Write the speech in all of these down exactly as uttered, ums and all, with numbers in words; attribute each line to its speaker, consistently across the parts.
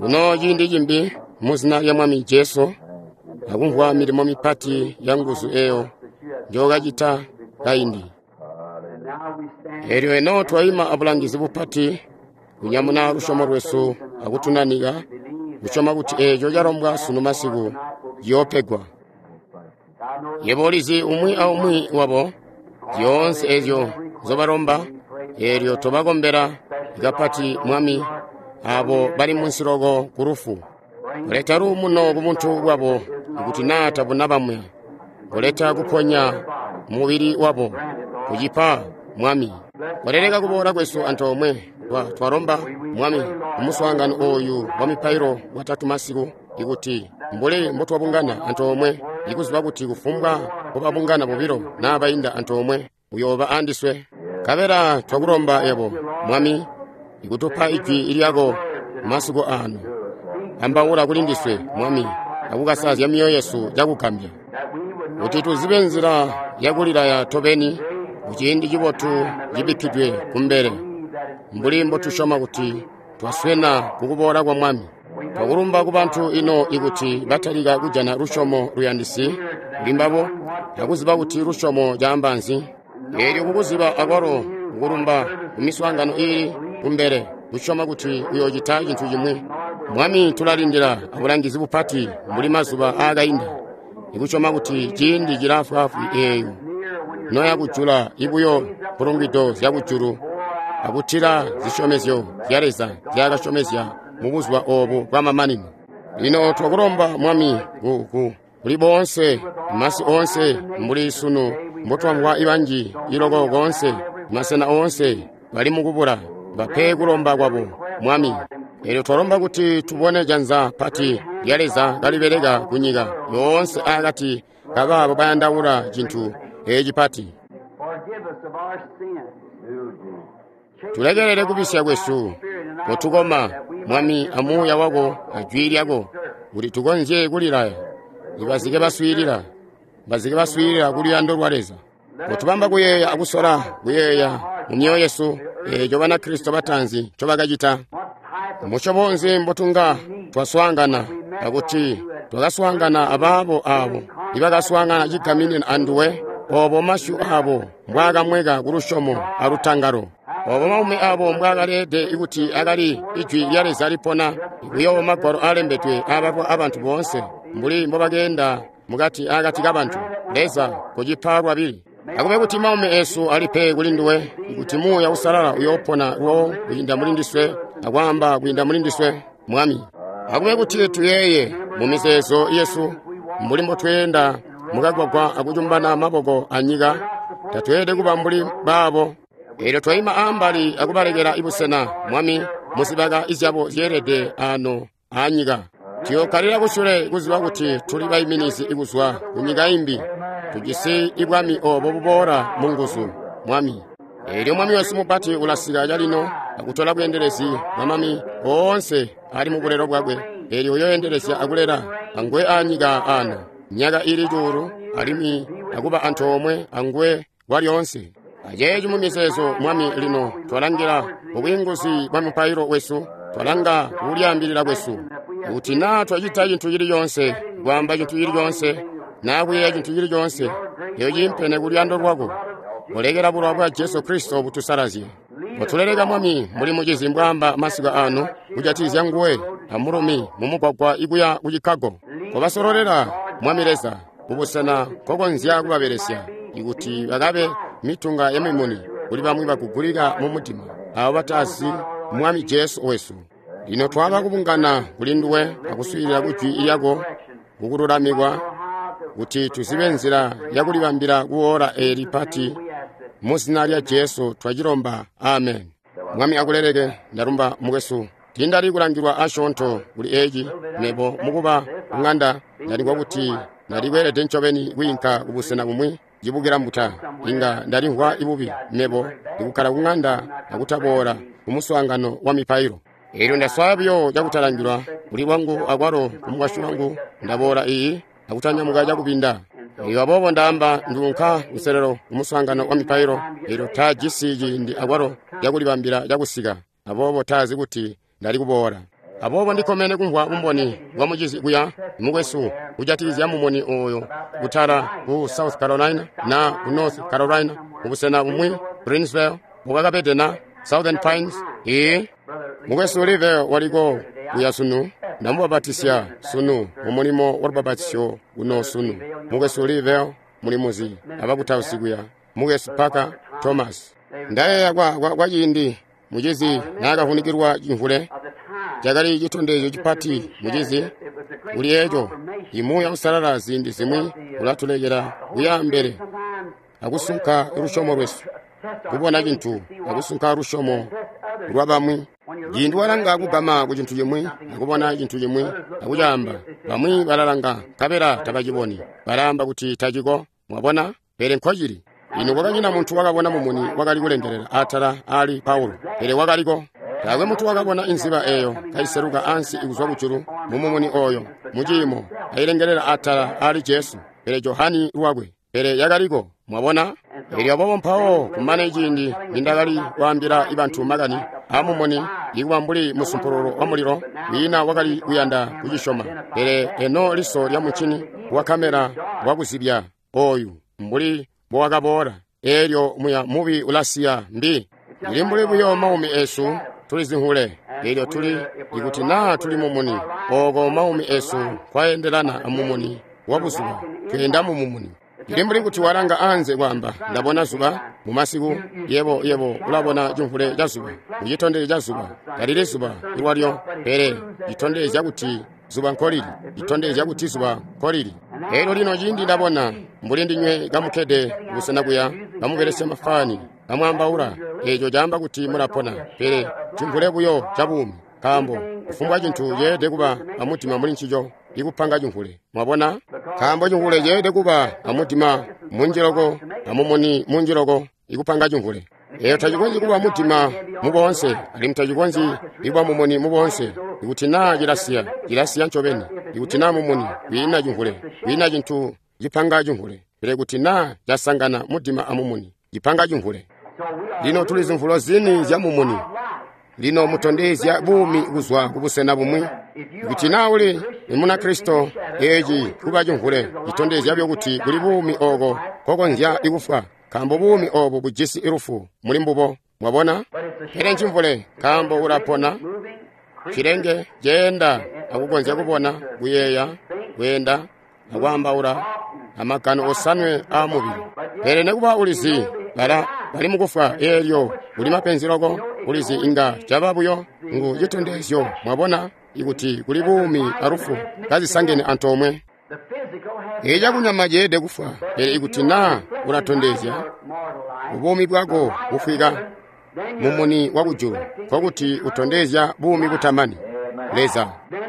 Speaker 1: Kuno ciindi cimbi muzina lya Mwami Jesu, akumvwa milimo mipati ya nguzu eyo njookacita kaindi. Elyo eno twaima abulangizi bupati, kunyamuna lusyomo lwesu akutunanika, kusyoma kuti eeco calombwa sunu masiku ciyoopegwa. Yebo ulizi umwi aumwi wabo, zyoonse ezyo nzobalomba, eelyo tobakombela kapati Mwami, abo bali munsi loko ku lufu. Koleta luumuno ku buntu bwabo ikuti naa tabuna bamwe. Koleta kuponya mubili wabo, kucipa Mwami. Koleleka kuboola kwesu antoomwe, twalomba Mwami kumuswaangano ooyu wa mipailo watatu masiku, ikuti mbuli mbotwabungana antoomwe, ikuziba kuti kufumbwa mbobabungana bobilo naa bainda antoomwe, uyooba andiswe. Nkabela twakulomba yebo, Mwami, ikutupa ijwi lyako masiku aano. Ambaula kuli ndiswe, Mwami, akukasazya myoyo yesu cakugambya, kuti tuzibe nzila yakulilaya tobeni kuciindi cibotu cibikkidwe kumbele, mbuli mbotusyoma kuti twaswena kukuboola kwa Mwami. Twakulumba kubantu ino ikuti batalika kujana lusyomo luyandisi kulimbabo, akuziba kuti lusyomo caamba nzi. Eelyo kukuziba akwalo kukulumba kumiswaangano iili kumbele, kusyoma kuti uyoocita cintu cimwi. Mwami, tulalindila abulangizi bupati mbuli mazuba aakainda, ikusyoma kuti ciindi cilaafwaafwi eeyo noya kujula ibuyo mpulungwido zyakujulu akutila zisyomezyo zya Leza nzyaakasyomezya mubuzuba oobu bwamamanino. Lino twakulomba Mwami ku kuli boonse masi oonse mbuli sunu mbotwamvwa ibanji iloko koonse masena oonse bali mukubula, bape kulomba kwabo Mwami. Eelyo twalomba kuti tubone janza pati lya Leza kalibeleka kunyika yoonse akati kabaabo bayandaula cintu eeci pati. Tulekelele kubisya kwesu, kotukoma Mwami amuuya wako ajwi lyako, kuti tukonzye kulilaya ibazike baswiilila, bazike baswiilila kuluyando lwa Leza. Kotubamba kuyeeya akusola kuyeeya mu myoyo yesu eeco Banakristo bataanzi ncobakacita. Musyobo nzi mbotunga twaswaangana, akuti twakaswaangana abaabo aabo ibakaswaangana cigaminina anduwe, oobo masyu aabo mbwaakamweka kulusyomo alutangalo, oobo maumi aabo mbwaakalede kuti akali ijwi lya Leza lipona, ikuyowo magwalo aalembedwe aabalwa abantu boonse mbuli mbobakeenda mukati akati kabantu. Leza, kucipa lwabili. Akube kuti maumi esu alipe kuli nduwe, kuti Muuya Uusalala uyoopona lwawo kwiinda muli ndiswe akwaamba kwiinda muli ndiswe, Mwami. Akube kuti tuyeeye mu mizeezo yesu mbuli mbotweenda mukagwagwa akucumbana maboko anyika, tatweelede kuba mbuli baabo. Eelyo twaima ambali akubalekela ibusena, Mwami, muzibaka izyabo zyeelede ano aanyika. Tuyookkalila kusule kuziba kuti tuli baiminizi kuzwa kunyika imbi, tujisi ibwami oobo buboola munguzu, Mwami. Eelyo Mwami wesu mupati ulasika calino akutola bweendelezi bwamami oonse ali mubulelo bwakwe. Eelyo uyooendelezya akulela anguwe aanyika aano myaka iili cuulu, alimwi akuba antoomwe anguwe kwalyoonse. Aceeci mumizeezo, Mwami, lino twalangila mubwiinguzi bwa mupailo wesu, twalanga kulyaambilila kwesu, kuti naa twacita cintu cili coonse, kwaamba cintu cili coonse, naa kuyeeya cintu cili coonse eeco ciimpene kuluyando lwako, kolekela bulowa bwa Jesu Kristo butusalazye. Kotuleleka Mwami, mbuli mucizi mbwaamba masiku aano kujatikizya nguwe amulumi mumugwagwa ikuya ku Chicago. Kobasololela, Mwami Leza, kubusena kokonzya kubabelesya, ikuti bakabe mitunga yamimuni kuli bamwi bakugulika mumudima, aabo batazi Mwami Jesu wesu. Lino twaba kubungana kuli nduwe akuswiilila kujwi lyako kukululamikwa, kuti tuzibe nzila yakulibambila kuola eeli pati. Muzina lya Jesu twacilomba, amen. Mwami akuleleke. Ndalumba mukwesu. Tiindali kulangilwa asyoonto kuli eeci, mebo mukuba kung'anda ndalimvwa kuti ndalikweelede ncobeni kwiinka kubusena bumwi cibukila mbuta. Inga ndalimvwa ibubi mebo ndikukkala kung'anda akutaboola kumuswaangano wa mipailo. Eelyo ndaswaya buyo cakutalangilwa kuli lwangu akwalo kumukwasyi wangu, ndaboola iyi akutanyamuka cakubinda. Eelyo aboobo ndaamba nduunka kuselelo kumuswaangano wa mipailo, eelyo taajisi ciindi akwalo cakulibambila cakusika. aboobo taazi kuti ndali kuboola. Aboobo ndikkomene kumvwa bumboni bwa mucizi kuya mukwesu kujatikizya mumuni oyo kutala ku South Carolina na ku North Carolina kubusena bumwi Greensville bukakapede na Southern Pines. Ee, mukwesu Live waliko kuya sunu, ndamubabatisya sunu mu mulimo wa lubabatisyo kuno sunu. Mukwesu Live mulimuzi abakutausi kuya, mukwesu Parker Thomas. Ndayeeya kwa, kwa, kwa ciindi mucizi naakavunikilwa cimvule, cakali citondezyo cipati mucizi kuli eco. Imuuya Uusalala ziindi zimwi ulatulekela kuya mbele akusunka lusyomo lwesu, kubona cintu akusunka lusyomo lwa bamwi. Ciindi walanga kugama ku cintu cimwi akubona cintu cimwi akucaamba, bamwi balalanga nkabela tabaciboni, balaamba kuti taciko. Mwabona? Pele nkocili. Ino kwakanyina muntu wakabona mumuni wakali kulengelela atala ali Paulo, pele wakaliko. Taakwe muntu wakabona inziba eyo kaiseluka ansi ikuzwa kujulu mu mumuni oyo muciimo kailengelela atala ali Jesu, pele Johani lwakwe, pele yakaliko. Mwabona? Elyo aboobo mpawo kumane ciindi nindakali kwaambila bantu makani amumuni ikuba mbuli musumpululu wa mulilo, wiina wakali kuyanda kucisyoma. Pele eno liso lya muncini wa kamera wakuzibya oyu mbuli mbowakaboola, elyo muya mubi ulasiya mbi. Ili mbuli buyo maumi esu tuli zinhule, elyo tuli ikuti naa tuli mumuni oko maumi esu kwaendelana amumuni wa buzuba, tweenda mu mumuni. Ili mbuli kuti walanga anze kwamba ndabona zuba mumasiku, yebo yebo ulabona cimvule ca zuba, mucitondezyo ca zuba, talili zuba ilwalyo, pele citondezya kuti zuba nkolili, citondezya kuti zuba nkolili. Elyo lino ciindi ndabona mbuli ndinywe kamukkede busena kuya kamubelesya mafani kamwaambaula, eco caamba kuti mulapona, pele cimvule buyo ca buumi, nkaambo kufumbwa cintu ceelede kuba amutima muli ncico ikupanga cimvule. Mwabona? Nkaambo cimvule ceelede kuba amutima munji loko amumuni munji loko ikupanga cimvule. Eyo tacikonzyi kuba mutima muboonse, alimwi tacikonzyi ikuba mumuni muboonse. Ikuti naa cilasiya, cilasiya ncobeni. Ikuti naa mumuni, kwiina cimvule, kwiina cintu cipanga cimvule. Pele kuti naa casangana mudima amumuni, cipanga cimvule. Lino tuli zimvulo zini zya mumuni. Lino mutondezya buumi kuzwa kubusena bumwi. Ikuti naa uli Munakristo, eci kuba cimvule citondezya buyo kuti kuli buumi oko kokonzya ikufwa, nkaambo buumi obu bujisi lufu muli mbubo. Mwabona? Pele ncimvule, nkaambo ulapona, cilenge ceenda akukonzya kubona, kuyeeya, kweenda, akwaambaula, amagano osanwe aamubili. Pele nekuba ulizi bala bali mukufwa, eelyo kuli mapenzi loko, ulizi inga caba buyo ngu citondezyo. Mwabona? Ikuti kuli buumi alufu kazisangene antoomwe. Ecakunyama ceelede kufwa, pele ikuti naa ulatondezya buumi bwako bufwika mumuni wa kujulu, nkokuti utondezya buumi butamani Leza.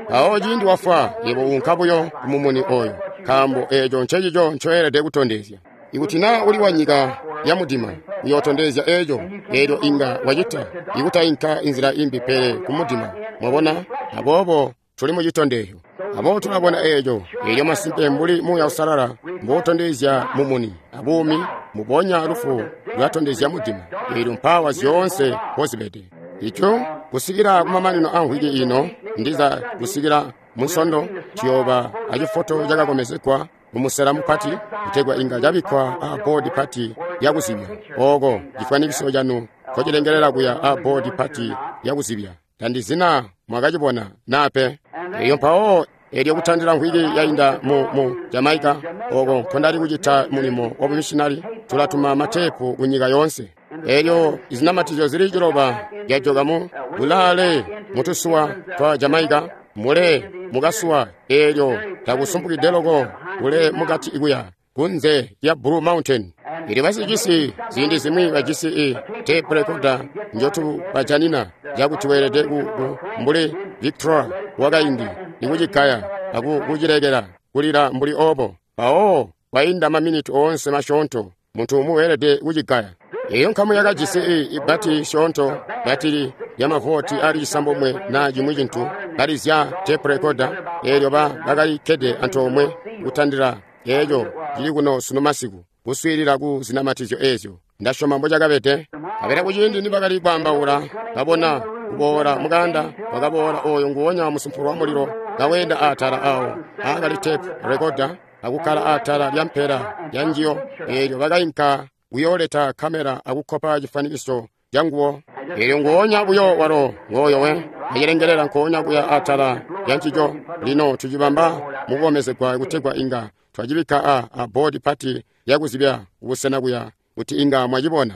Speaker 1: Awo ciindi wafwa, yebo unka buyo kumumuni oyo, nkaambo eco ncecico ncoelede kutondezya. Ikuti naa uli wa nyika ya mudima, uyootondezya eco, eelyo inga wacita ikutainka inzila imbi pele kumudima. Mwabona? Aboobo tuli mucitondezyo. Aboobo tulabona eco, eelyo masimpe mbuli Muuya Uusalala mboutondezya mumuni abuumi, mubonya lufu lulatondezya mudima. Eelyo mpawa zyoonse mpozibede. Ico kusikila kumamanino a mvwiki ino, ndiza kusikila munsondo, tuyooba acifoto cakakomezegwa mumusela mupati, kutegwa inga cabikkwa a boodi pati yakuzibya. Oko cifwanikiso canu nkocilengelela kuya a boodi pati yakuzibya. Tandizina mwakacibona nape. Eyo mpawo elyo kutandila mvwiki yainda mu, mu Jamaica, oko nkondali kucita mulimo wa bumissionary, tulatuma matepu ku nyika yoonse. Elyo izinamatizyo zili ciloba zyajoka mu bulaale mutusuwa twa Jamaica, mule mukasuwa eelyo takusumpukide loko kule mukati ikuya kunze ya Blue Mountain. Ili basicisi ziindi zimwi bajisi i tape recorder njotubajanina cakuti weelede ku, ku mbuli Victoria wakaindi ikucikaya akucilekela kulila mbuli obo. Mpawo kwainda maminiti oonse masyoonto muntu umwi weelede kucikaya. Eyo nkamu yakajisi i ibati syoonto batili lyamavoti ali cisambomwe na cimwi cintu kalizya tape recorder, eelyo ba bakalikkede antoomwe kutandila eeco cili kuno sunu masiku kuswiilila ku zinamatizyo eezyo. Ndasyoma mbocakabede. Kabela kuciindi nibakali kwaambaula, babona Kuboola mukanda wakaboola oyo nguwonya musumpulu wa mulilo kaweenda atala awo aakali tape recorder akukkala atala lya mpela ya njiyo. Eelyo bakainka kuyooleta kamera akukkopa cifwanikiso canguwo. Eelyo nguwonya buyo walo ngooyo we acilengelela nkoonya kuya atala lya ncico. Lino tucibamba mukukomezegwa kutegwa inga twacibikka a, a boodi pati yakuzibya kubusena kuya kuti inga mwacibona.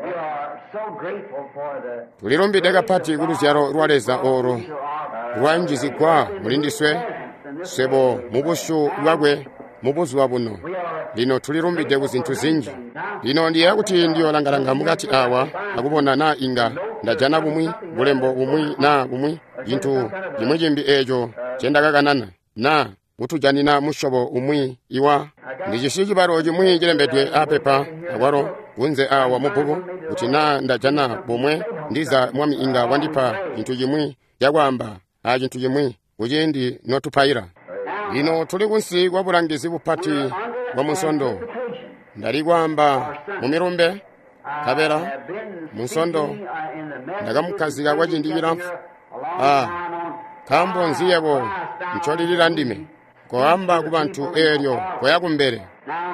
Speaker 2: We are so grateful for the
Speaker 1: Tulilumbide kapati ku luzyalo lwa Leza olo lwanjizigwa mulindiswe swebo mu busyu bwakwe mu buzuba buno. Lino tulilumbide ku zintu zinji. Lino ndiyeeya kuti ndiyolangalanga mukati awa akubona naa inga ndajana bumwi bulembo bumwi naa bumwi cintu cimwi cimbi eeco ncendakakanana naa kutujanina musyobo umwi iwa. Ndijisi cibalo cimwi cilembedwe apepa akwalo kunze awa mubbuku kuti naa ndajana bumwe ndiza Mwami inga wandipa cintu cimwi cakwaamba a cintu cimwi kuciindi notupaila. Lino tuli kunsi kwa bulangizi bupati bwa Munsondo. Ndali kwaamba mu milumbe nkabela Munsondo ndakamukkazika kwa ciindi cilamfu. Ah, nkaambo nzi yebo ncolilila ndime? Koamba ku bantu eelyo koya kumbele.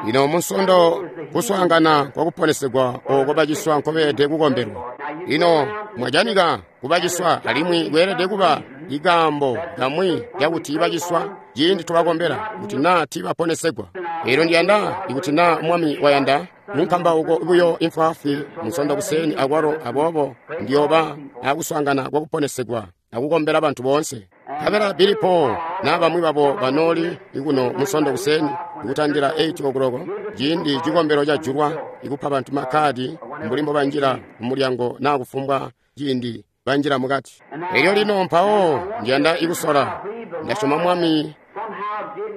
Speaker 1: Lino Munsondo kuswaangana kwa kuponesegwa ooko baciswa nkobeelede kukombelwa. Lino mwajanika kubaciswa alimwi kweelede kuba ikaambo kamwi kakuti baciswa ciindi tubakombela kuti naa tiibaponesegwa. Eelyo ndiyanda ikuti naa Mwami wayanda munkambauko buyo imfwaafwi Munsondo kuseeni akwalo, aboobo ndiyooba akuswaangana kwa kuponesegwa akukombela bantu boonse. Nkabela Billy Paul naa bamwi babo banooli ikuno Munsondo kuseeni ikutandila eight o'clock ciindi cikombelo cajulwa ikupa bantu makkadi mbuli mbobanjila mumulyango naa kufumbwa ciindi banjila mukati. Elyo lino mpawo ndiyanda ikusola. Ndasyoma Mwami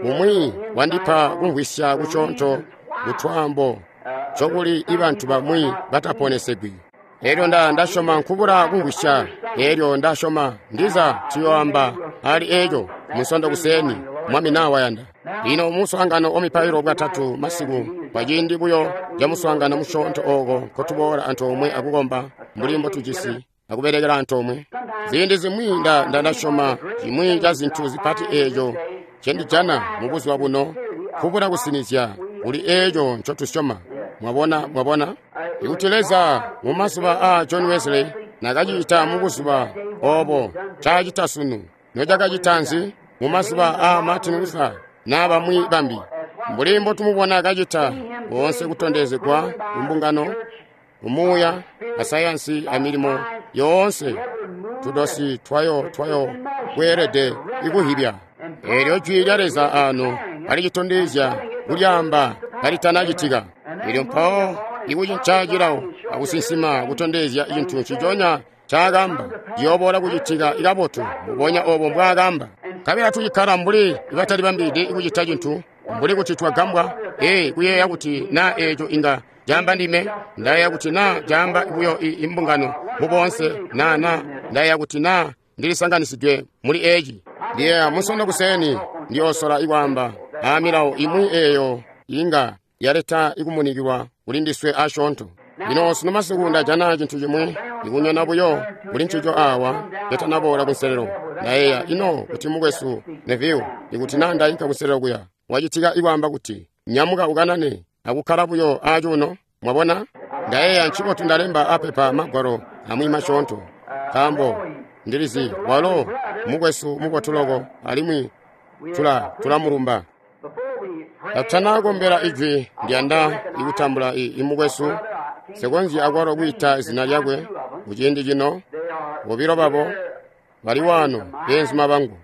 Speaker 1: umwi wandipa kumvwisya kuconco kutwaambo cokuli ibantu bamwi bataponesegwi. Elyo nda ndasyoma nkubula kumvwisya. Elyo ndasyoma ndiza tuyoamba ali eco Munsondo kuseeni Mwami naa wayanda. Lino muswaangano wa mipailo bwatatu masiku kwa ciindi buyo ca muswaangano musyoonto ooko nkotuboola antoomwe akukomba mbuli mbotujisi akubelekela antoomwe. Ziindi zimwi nda nda ndasyoma cimwi ca zintu zipati eeco ncendijana mu buzuba buno kubula kusinizya kuli eeco ncotusyoma. Mwabona, mwabona? Ikuti Leza mu mazuba aa John Wesley nakacita mu buzuba obo ncaacita sunu, nocakacita nzi mu mazuba aa Martin Luther naa bamwi bambi? Mbuli mbotumubona kacita boonse kutondezegwa kumbungano, kumuuya, asayansi amilimo yoonse tudosi twayo twayo kweelede ikuhibya. Eelyo jwi lya Leza ano alicitondezya kulyaamba kalitanacitika. Eelyo mpawo ikucinca cilawo akusinsima kutondezya cintu nciconya ncaakamba ciyooboola kucitika ikabotu mbubonya obo mbwaakamba. Nkabela tucikkala mbuli ibatalibambide kucita cintu mbuli kuti twagambwa, ee kuyeeya kuti naa eeco inga caamba ndime, ndayeeya kuti naa caamba buyo imbungano muboonse, naa naa ndayeeya kuti naa ndilisanganisidwe muli eeci. Ndiyeeya Munsondo kuseeni ndiyoosola ikwaamba aamilawo imwi eeyo inga yaleta ikumunikilwa kuli ndiswe asyoonto. Lino sunu masiku ndajana cintu cimwi ikunyona buyo kuli ncico awa catanaboola kunselelo. Ndayeeya ino kuti mukwesu Neville ikuti naa ndainka kunselelo kuya wacitika ikwaamba kuti nyamuka ukanane akukkala buyo acuuno. Mwabona? Ndayeeya ncibotu ndalemba apepa magwalo amwi masyoonto nkaambo ndilizi walo mukwesu mubotu loko alimwi tula tulamulumba. Katutanakombela ijwi ndiyanda ikutambula imukwesu sekonzyi akwalo kwiita zina lyakwe kuciindi cino. Bobilo babo bali waano beenzuma bangu.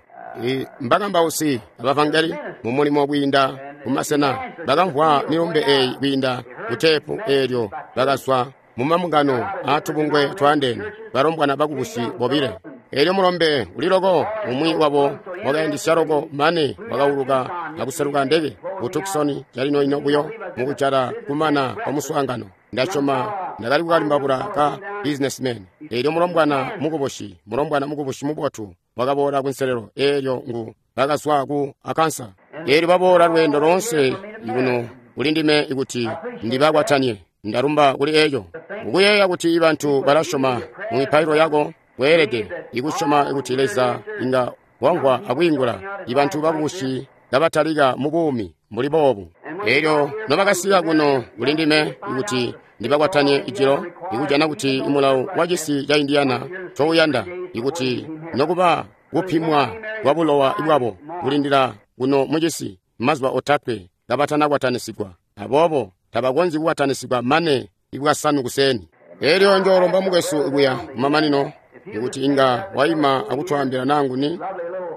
Speaker 1: Mbakambausi abavangeli mu mulimo kwiinda mumasena bakamvwa milumbe eeyi kwiinda kuteepu eelyo bakazwa mumambungano aatubungwe twaandeene balombwana bakubusi bobile. Eelyo mulombe uli loko umwi wabo wakayandisya loko mane wakauluka akuseluka ndeke ku Tucson calino-ino buyo mukujala kumana kwa muswaangano. Ndasyoma ndakali kukalimbabula ka businessman. Eelyo mulombwana mukubusi, mulombwana mukubusi mubotu wakaboola kunselelo eelyo ngu bakazwa ku Arkansas. Eelyo baboola lweendo loonse kuno kuli ndime ikuti ndibakwatanie. Ndalumba kuli eeco. Ukuyeeya kuti bantu balasyoma mu mipailo yako kweelede ikusyoma kuti Leza inga wamvwa akwiingula ibantu bakubusi kabatalika mu buumi mbuli boobu. Elyo nobakasika kuno kuli ndime kuti ndibakwatanye ijilo, ikujana kuti mulawo wa cisi ca Indiana touyanda ikuti nokuba kupimwa kwa bulowa bwabo kulindila kuno mucisi mazuba otatwe kabatanakwatanisigwa. Aboobo tabakonzyi kukwatanisigwa mane ibwasanu kuseni. Elyo njoolomba mukwesu kuya kumamanino ikuti inga waima akutwaambila nanguni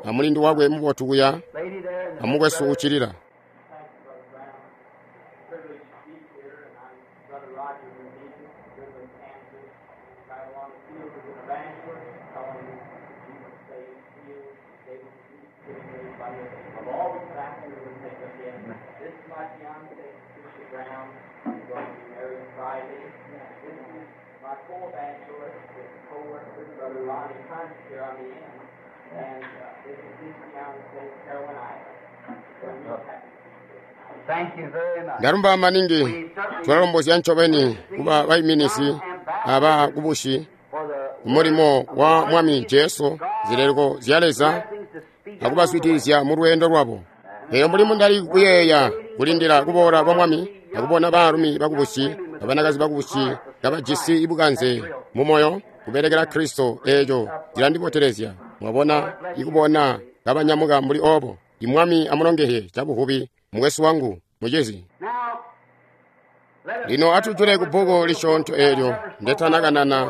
Speaker 1: amulindi wakwe mubotu kuya amukwesu ucilila.
Speaker 3: Privileged to be here, and I'm Brother Roger Van Goodland, Kansas. Right along the field as an evangelist, telling Jesus saves, heals, able to do everybody. I've always back here to take us in. This is my fiance, Patricia Brown. We're going to be married Friday. This is my co-evangelist with co-worker, Brother Ronnie Hunt, here on the end. And uh, this is his fiance, Carolyn Island. So we're happy to be here.
Speaker 2: Thank you very much.
Speaker 1: Ndarumba maningi tulalombozya ncobeni kuba bayiminisi aba kubushi
Speaker 2: For the
Speaker 1: mulimo wa Mwami Jesu zileleko zya Leza akubaswitizya mu lweendo lwabo. Eyo mulimu ndali kuyeeya kulindila kuboola kwa Mwami akubona baalumi bakubusi abanakazi bakubusi kabajisi ibukanze mu moyo kubelekela Kristo. Eeco cilandibotelezya mwabona ikubona kabanyamuka mbuli obo. Imwami amulongehye cabuvubi mukwesu wangu mucizi.
Speaker 2: Now, let us
Speaker 1: Lino atujule ku bbuku lisyoonto eelyo ndetanakanana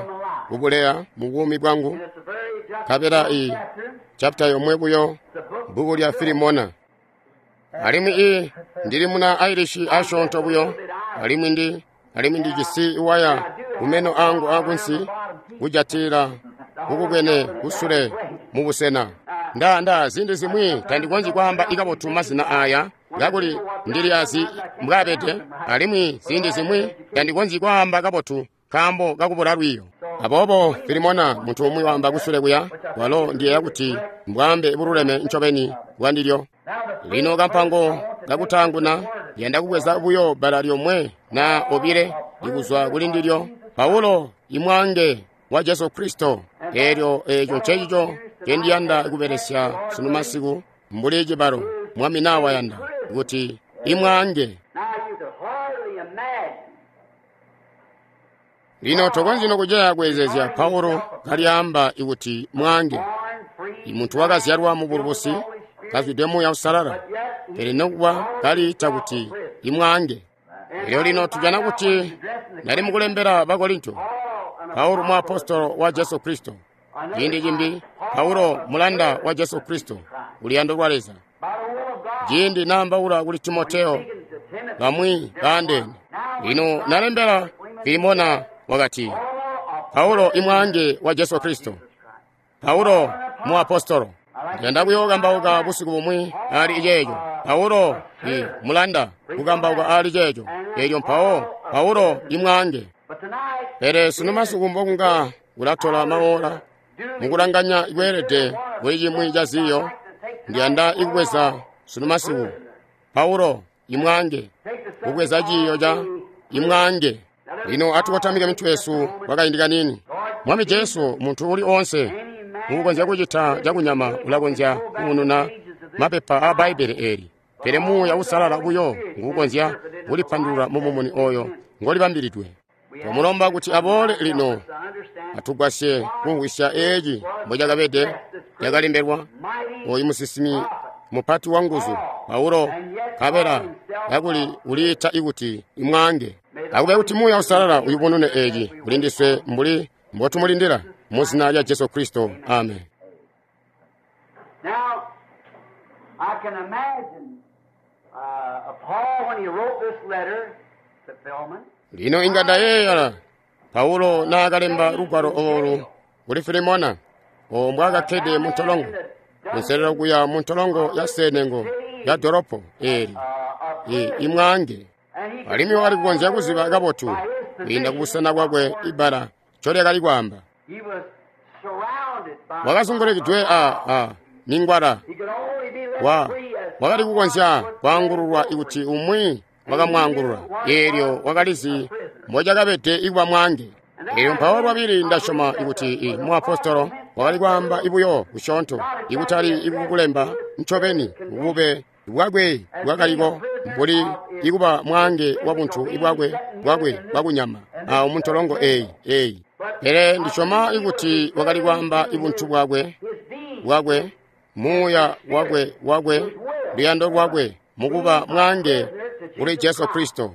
Speaker 1: kubuleya mu buumi bwangu
Speaker 2: it's a very just
Speaker 1: kabela i
Speaker 2: chapter,
Speaker 1: chapter yomwe buyo
Speaker 2: the book
Speaker 1: bbuku lya Filimona. Alimwi i ndili muna Irish asyoonto buyo, alimwi ndi alimwi ndijisi iwaya kumeno angu akunsi kujatilila kukubwene kusule mu busena. Nda nda zindi zimwi tandikonzyi kwaamba ikabotu mazina aya kakuli ndili azi mbwabede, alimwi zindi zimwi tandikonzyi kwaamba kabotu nkaambo kakubula lwiiyo. Aboobo Filimona muntu umwi waamba kusule kuya, walo ndiyeeya kuti mbwaambe bululeme ncobeni bwandilyo. Lino kampango kakutaanguna yanda kubweza buyo bbala lyomwe na obile likuzwa kuli ndilyo. Paulo imwange wa Jesu Kristo. Eelyo eeco ncecico ncendiyanda kubelesya sunu masiku mbuli cibalo Mwami nawayanda kuti imwange.
Speaker 2: Now you could hardly imagine
Speaker 1: Lino tokonzyi nokuceya kweezezya Paulo kalyaamba ikuti mwange,
Speaker 2: born free,
Speaker 1: imuntu wakazyalwa mu bulubusi kazwide Muuya Uusalala,
Speaker 2: yet
Speaker 1: pele nokuba kaliita kuti imwange. Elyo lino tujana kuti nali mukulembela Bakorinto,
Speaker 2: Paul, an
Speaker 1: Paulo muapostolo wa Jesu Kristo. Ciindi cimbi Paulo mulanda wa Jesu Kristo kuluyando lwa Leza.
Speaker 2: by the will of God,
Speaker 1: Ciindi naambaula kuli Timoteo
Speaker 2: speaking to Timothy,
Speaker 1: bamwi baandeene. Lino nalembela Filimona wakati,
Speaker 2: Paul,
Speaker 1: Paulo imwange wa Jesu Kristo, Paulo muapostolo. Ndiyanda kuyookambauka busiku bumwi ali ceeco. Paulo i mulanda kukambauka ali ceeco. Eelyo mpawo Paulo imwange.
Speaker 2: but tonight,
Speaker 1: Pele sunu masiku mbokunga kulatola maola mukulanganya ikweelede kuli cimwi ca ziyo, ndiyanda ikubweza sunu masiku Paulo imwange
Speaker 2: take the
Speaker 1: kubweza ciyo ca imwange. Lino atukotamike mitwe yesu kwakaindi kanini. Mwami Jesu, muntu uli onse mukukonzya kucita cakunyama ulakonzya kuununa mapepa a Bbaibele eeli, pele Muuya Uusalala buyo nguukonzya kulipandulula mu mumuni oyo ngolibambilidwe. Twamulomba kuti aboole lino
Speaker 2: to understand
Speaker 1: atugwasye kumvwisya eeci mbocakabede cakalembelwa oyu musinsimi mupati wa nguzu Paulo, kabela kakuli uliita ikuti imwange. Akube kuti Muuya Uusalala uyubunune eeci kuli ndiswe mbuli mbotumulindila mu zina lya Jesu Kristo, amen.
Speaker 2: Now, I can imagine uh, Paul when he wrote this letter to Philemon.
Speaker 1: Lino inga ndayeeyala Paulo naakalemba lugwalo oolu kuli Filimona owo mbwaakakkede mu ntolongo kunselelo kuya mu ntolongo ya senengo ya dolopo eeli i imwange.
Speaker 2: And he
Speaker 1: Alimwi wakali kukonzya kuziba kabotu kwiinda kubusena bwakwe ibbala ncolyakali kwaamba.
Speaker 2: he was surrounded by
Speaker 1: Wakazungulukidwe a a mingwala
Speaker 2: he could only be let
Speaker 1: wa
Speaker 2: free as
Speaker 1: wakali kukonzya kwaangululwa ikuti umwi wakamwaangulula. Eelyo wakalizi mbocakabede ikuba mwange. Elyo mpawo lwabili ndasyoma ikuti muapostolo wakali kwaamba ibuyo kusyoonto, ikutali ikukulemba ncobeni bube bwakwe bwakaliko mbuli ikuba mwaange wa buntu bwakwe bwakwe bwakunyama awo muntolongo eyi eyi. Pele ndisyoma ikuti wakali kwaamba ibuntu bwakwe bwakwe muuya wakwe wakwe luyando lwakwe mukuba mwaange kuli Jesu Kristo.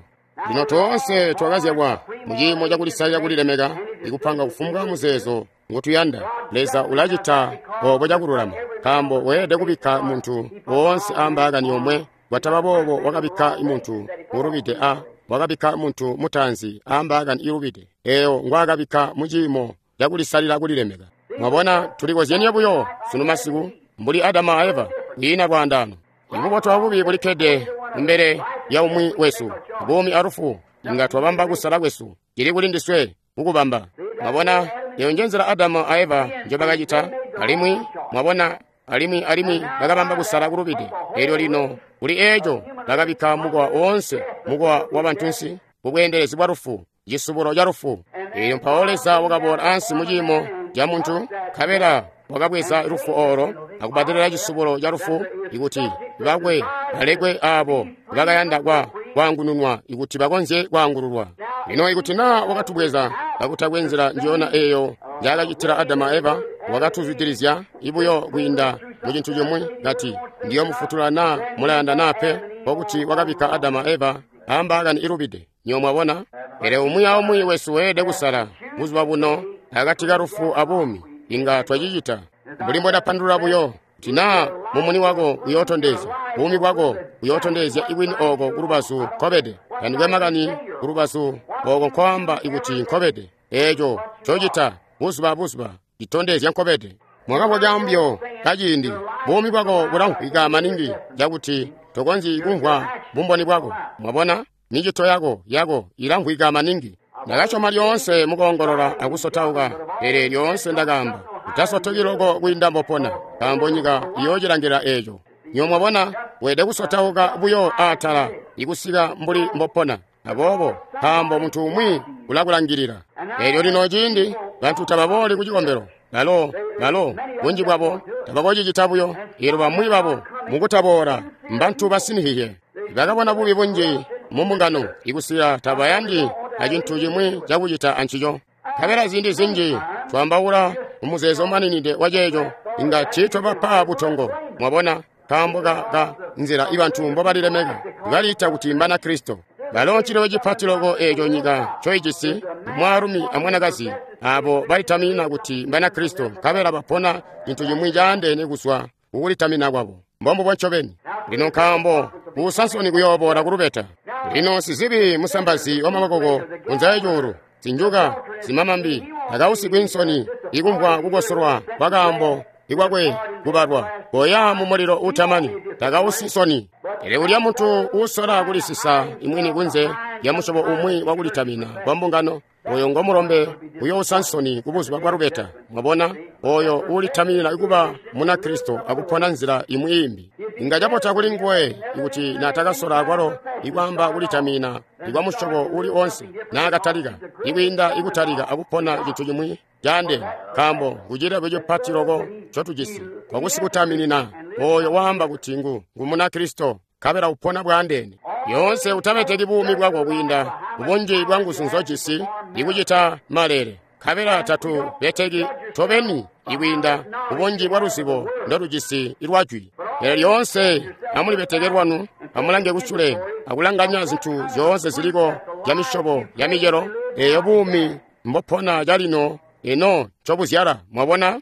Speaker 1: Lino toonse twakazyalwa muciimo cakulisalila kulilemeka ikupanga kufumbwa muzeezo ngotuyanda. Leza ulacita obo cakululama, nkaambo weelede kubikka muntu woonse ambaakani yomwe. Kwataba boobo wakabikka muntu ulubide a wakabikka muntu mutaanzi ambaakani ilubide eyo ngwaakabikka muciimo cakulisalila kulilemeka. Mwabona, tulikozyenie buyo sunu masiku mbuli Adamu a Eva, kwiina lwaandaano. Ibubotu abubi bulikkede kumbele ya umwi wesu, buumi alufu inga twabamba kusala kwesu, cili kuli ndiswe kukubamba. Mwabona, eyo nje nzila Adamu a Eva njobakacita, alimwi mwabona, alimwi alimwi bakabamba kusala kulubide. Elyo lino kuli eeco bakabikka mukowa woonse, mukowa wa bantunsi, kubweendelezi bwa lufu, cisubulo ca lufu. Elyo mpawo Leza wakaboola ansi mu ciimo ca muntu, nkabela wakabweza lufu olo akubadelela cisubulo ca lufu, ikuti bakwe balekwe abo bakayanda kwa kwaangununwa, ikuti bakonzye kwaangululwa. Lino ikuti naa wakatubweza kakutakwe nzila njiyona eyo njaakacitila Adamu a Eva, wakatuzwidilizya ibuyo kwiinda mu cintu cimwi kati ndiyomufutula naa mulayanda naa pe, nkokuti wakabikka Adamu a Eva ambaakani ilubide. Nyo mwabona? Pele umwi aumwi wesu weelede kusala buzuba buno akati ka lufu abuumi. Inga twacicita mbuli mbwedapandulula buyo kuti naa mumuni wako uyootondezya buumi bwako uyootondezya ibwini oko kulubazu nkobede, tandikwe makani kulubazu oko nkoamba ikuti nkobede. Eeco ncocita buzuba abuzuba citondezya nkobede. Mwakabwa cambyo kaciindi, buumi bwako bulamvwika maningi cakuti tokonzyi kumvwa bumboni bwako. Mwabona, micito yako yako ilamvwika maningi. Ndakasyoma lyoonse mukoongolola akusotauka, pele lyoonse ndakaamba utasotoki loko kwiinda mbopona, nkaambo nyika iyoocilangila eeco. Nyo mwabona, weelede kusotauka buyo aatala ikusika mbuli mbopona. Aboobo nkaambo muntu umwi ulakulangilila. Elyo lino ciindi bantu tababooli ku cikombelo, balo balo bunji bwabo tabakocicita buyo. Elyo bamwi babo mukutaboola mbantu basinihiye, bakabona bubi bunji mu mbungano ikusika tabayandi acintu cimwi cakucita ancico. Nkabela ziindi zinji twambaula mumuzeezo umaninide wa ceeco inga tiitwabapa butongo. Mwabona, nkaambo ka, ka nzila ibantu mbobalilemeka, baliita kuti mbana Kristo. Balo ncilebe cipati loko eeco nyika ncoijisi, mwaalumi amwanakazi abo balitamina kuti mbana Kristo, nkabela bapona cintu cimwi caandeene kuzwa kukulitamina kwabo. Mbombubo ncobeni. Lino nkaambo kuusa nsoni kuyooboola kulubeta. Lino sizibi musambazi wa mabokoko kunza ecuulu, zinjuka zimamambi akausigwi nsoni ikumvwa kukosolwa kwa kaambo ikwakwe kubalwa koya mu mulilo utamani, takausi nsoni. Pele ulya muntu uusola kulisisa imwini kunze ya musyobo umwi wakulitamina kwa mbungano, oyo ngomulombe uyousa nsoni kubuzuba bwa lubeta. Mwabona, oyo uulitaminina kuba muna Kristo akupona nzila imwi imbi. Inga cabota kuli nguwe ikuti naatakasola akwalo ikwaamba kulitamina ikwa musyobo uli onse naakatalika, ikwiinda ikutalika akupona cintu cimwi caandeene, nkaambo ngucilebyo cipati loko ncotujisi kwakusikutaminina oyo waamba kuti ngu ngu muna Kristo nkabela upona bwaandeene. Yoonse utabeteki buumi bwako kwiinda kubunji bwa nguzu nzojisi ikucita malele, nkabela tatu beteki tobeni ikwiinda kubunji bwa luzibo ndolujisi ilwajwi. Pele lyoonse amulibeteke lwanu, amulange kusule akulanganya zintu zyoonse ziliko zya misyobo ya micelo eyo buumi mbopona calino ino ncobuzyala. Mwabona,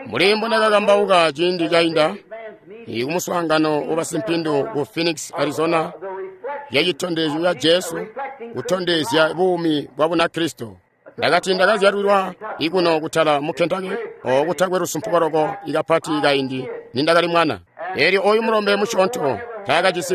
Speaker 1: mbuli mbondakakambauka ciindi cainda kumuswaangano wabasimpindu ku Phoenix, Arizona, ya citondezyo ya Jesu kutondezya buumi bwa Bunakristo. Ndakati ndakazyalilwa ikuno kutala mu Kentucky, oko kutakwe lusumpuko loko ikapati kaindi nindakali mwana. Elyo oyu mulombe musyoonto taakajisi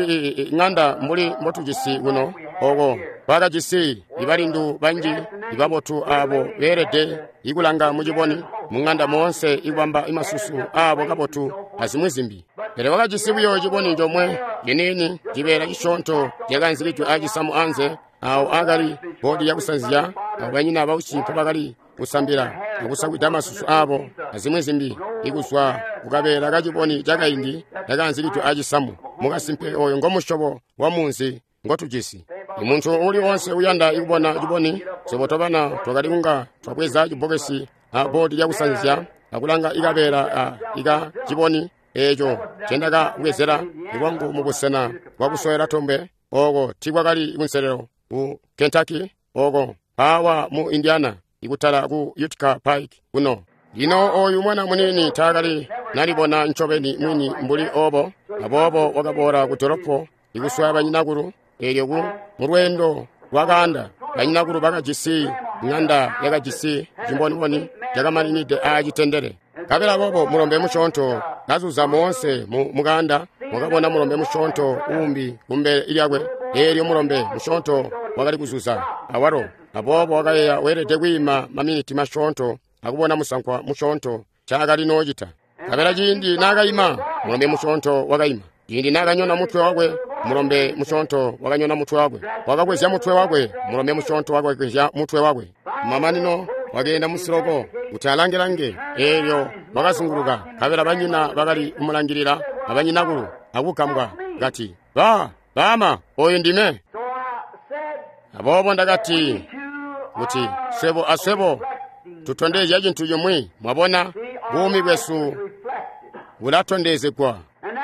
Speaker 1: ng'anda mbuli mbotujisi kuno, oko kwakajisi ibalindu banji ibabotu abo beelede ikulanga muciboni mu ng'anda moonse ikubamba imasusu abo kabotu azimwi zimbi. Pele wakajisi buyo ciboni comwe ciniini, cibeela cisyoonto cakanzikidwe acisamu anze Awo akali bodi yakusanzya, abo banyina bausi mpo bakali kusambila akusakwida masusu abo azimwi zimbi, ikuzwa kukabeela kaciboni cakaindi kakanzikidwe acisamu. Mukasimpe oyo ngomusyobo wa munzi ngotujisi. Imuntu uli onse uyanda ikubona ciboni, swebo tobana twakali kunga twabweza cibbokesi a bodi lyakusanzya akulanga ikabeela a ika ciboni eeco ncendakabwezela lwangu mubusena bwakusowela tombe. Oko tiikwakali kunselelo ku Kentucky, oko mpaawa mu Indiana, ikutala ku Utica Pike kuno. Lino oyu mwana muniini taakali nalibona ncobeni mwini mbuli obo, aboobo wakaboola ku dolopo ikuswaya banyinakulu. Eelyo ku mulweendo lwakaanda, banyinakulu bakajisi ng'anda yakajisi cimbonimboni cakamaninide aacitendele. Nkabela boobo mulombe musyoonto kazuza moonse mu mukanda, wakabona mulombe musyoonto uumbi kumbele lyakwe. Eelyo mulombe musyoonto wakali kuzuza awalo, aboobo wakayeeya weelede kwiima maminiti masyoonto akubona musankwa musyoonto ncaakali noocita. Nkabela ciindi naakaima, mulombe musyoonto wakaima. Ciindi naakanyona mutwe wakwe, mulombe musyoonto wakanyona mutwe wakwe. Wakakwezya mutwe wakwe, mulombe musyoonto wakakwezya mutwe wakwe. Mamanino wakeenda musiloko kuti alange-lange. Eelyo wakazunguluka, nkabela banyina bakali kumulangilila abanyinakulu akugambwa, kati, "Ba, baama, oyu ndime." Aboobo ndakati kuti swebo aswebo tutondezya cintu cimwi. Mwabona, buumi bwesu bulatondezegwa.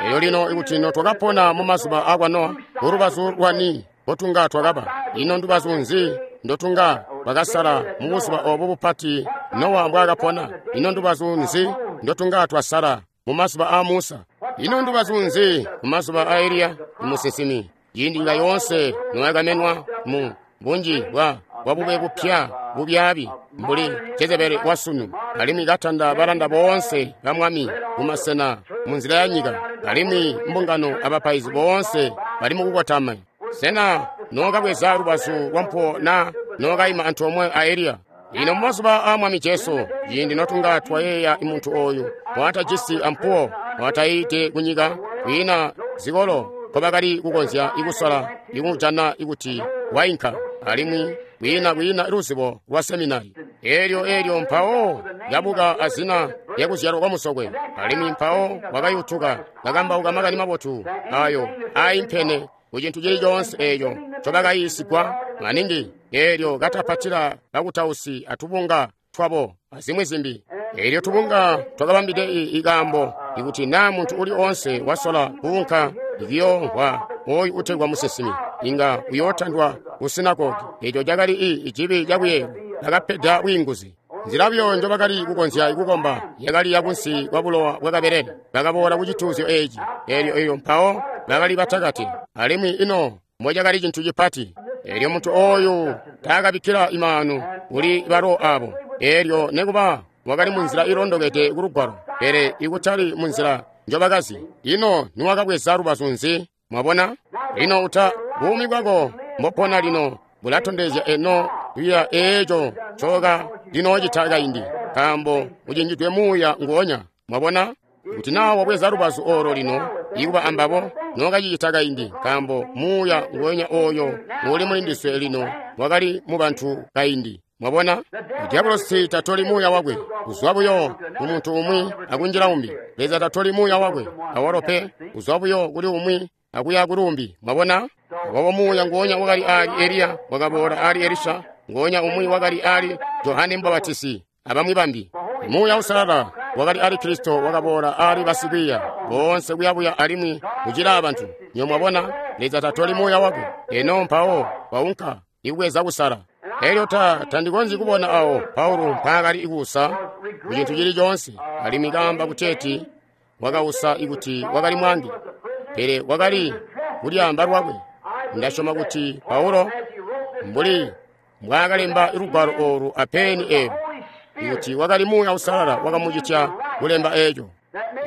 Speaker 1: Elyo lino ikuti no twakapona mu mazuba akwa Nowa, kulubazu lwani mbotunga twakaba? Ino ndubazu nzi ndotunga twakasala mu buzuba obo bupati Nowa mbwaakapona? Ino ndubazu nzi ndotunga twasala mu mazuba a Musa? Ino ndubazu nzi mu mazuba a Eliya musinsimi? Ciindi nyika yoonse noyakamenwa mu bunji bwa bwabube bupya bubyaabi mbuli Jezebeli wasunu, alimwi katanda balanda boonse ba mwami mumasena munzila ya nyika, alimwi mbungano abapaizi boonse bali mukukotama. Sena nookabweza lubazu lwampo na nookaima antoomwe a Eliya? Lino mumazuba a Mwami Jesu, ciindi notunga twayeeya muntu oyu waatajisi ampuwo, waatayiide kunyika, kwiina zikolo nkobakali kukonzya ikusola ikumujana ikuti wainka, alimwi kwiina kwiina luzibo lwa seminari. Eelyo eelyo mpawo kabuka azina lyakuzyalwa kwa musokwe, alimwi mpawo wakayutuka kakambauka makani mabotu ayo aimpene ku cintu cili coonse eeco ncobakayiisigwa maningi, eelyo katapatila bakutausi atubunga twabo azimwi zimbi. Eelyo tubunga twakabambide ikaambo ikuti naa muntu uli oonse wasola kuunka ikiyoomvwa oyu utegwa musinsimi, inga uyootandwa ku sinagogi. Eeco cakali icibi cakuyeeyelwa. Bakapeda bwiinguzi. Nzila buyo njobakali kukonzya kukomba yakali yakunsi kwa bulowa bwakabelele. Bakaboola ku cituuzyo eeci. Eelyo eelyo mpawo bakali batakati, alimwi ino mbocakali cintu cipati. Eelyo muntu oyu taakabikkila imaanu kuli balo abo. Eelyo nekuba wakali munzila ilondokede ku lugwalo, pele ikutali munzila njobakazi. Ino niwakabweza lubazu nzi? Mwabona? Lino uta buumi bwako mbopona lino bulatondezya eno luya eeco ncoka linoocita kaindi, nkaambo ucinjidwe muuya nguonya. Mwabona? Kuti naa wabweza lubazu olo lino ikuba ambabo, nookacicita kaindi, nkaambo muuya nguonya oyo uuli mulindiswe lino wakali mu bantu kaindi. Mwabona? Diabolosi tatoli muuya wakwe kuzwa buyo ku muntu umwi akunjila umbi. Leza tatoli muuya wakwe awalo pe, kuzwa buyo kuli umwi akuya kuli umbi. Mwabona? Aboobo muuya nguonya wakali ali Eliya wakaboola ali Elisha, nguonya umwi wakali ali Johane Mubapatizi abamwi bambi. Muuya Uusalala wakali ali Kristo wakaboola ali basikwiiya boonse kuyabuya alimwi kucila abantu. Nyo mwabona, Leza tatoli muuya wakwe. Eno mpawo waunka ikubweza kusala. Elyo ta tandikonzyi kubona awo Paulo mpaakali ikuusa ku cintu cili coonse, alimwi kaamba kuteeti wakausa ikuti wakali mwangi, pele wakali kulyaamba lwakwe. Ndasyoma kuti Paulo mbuli mbwaakalemba lugwalo olu apeni elo, ikuti wakali Muuya Uusalala wakamucitya kulemba eco.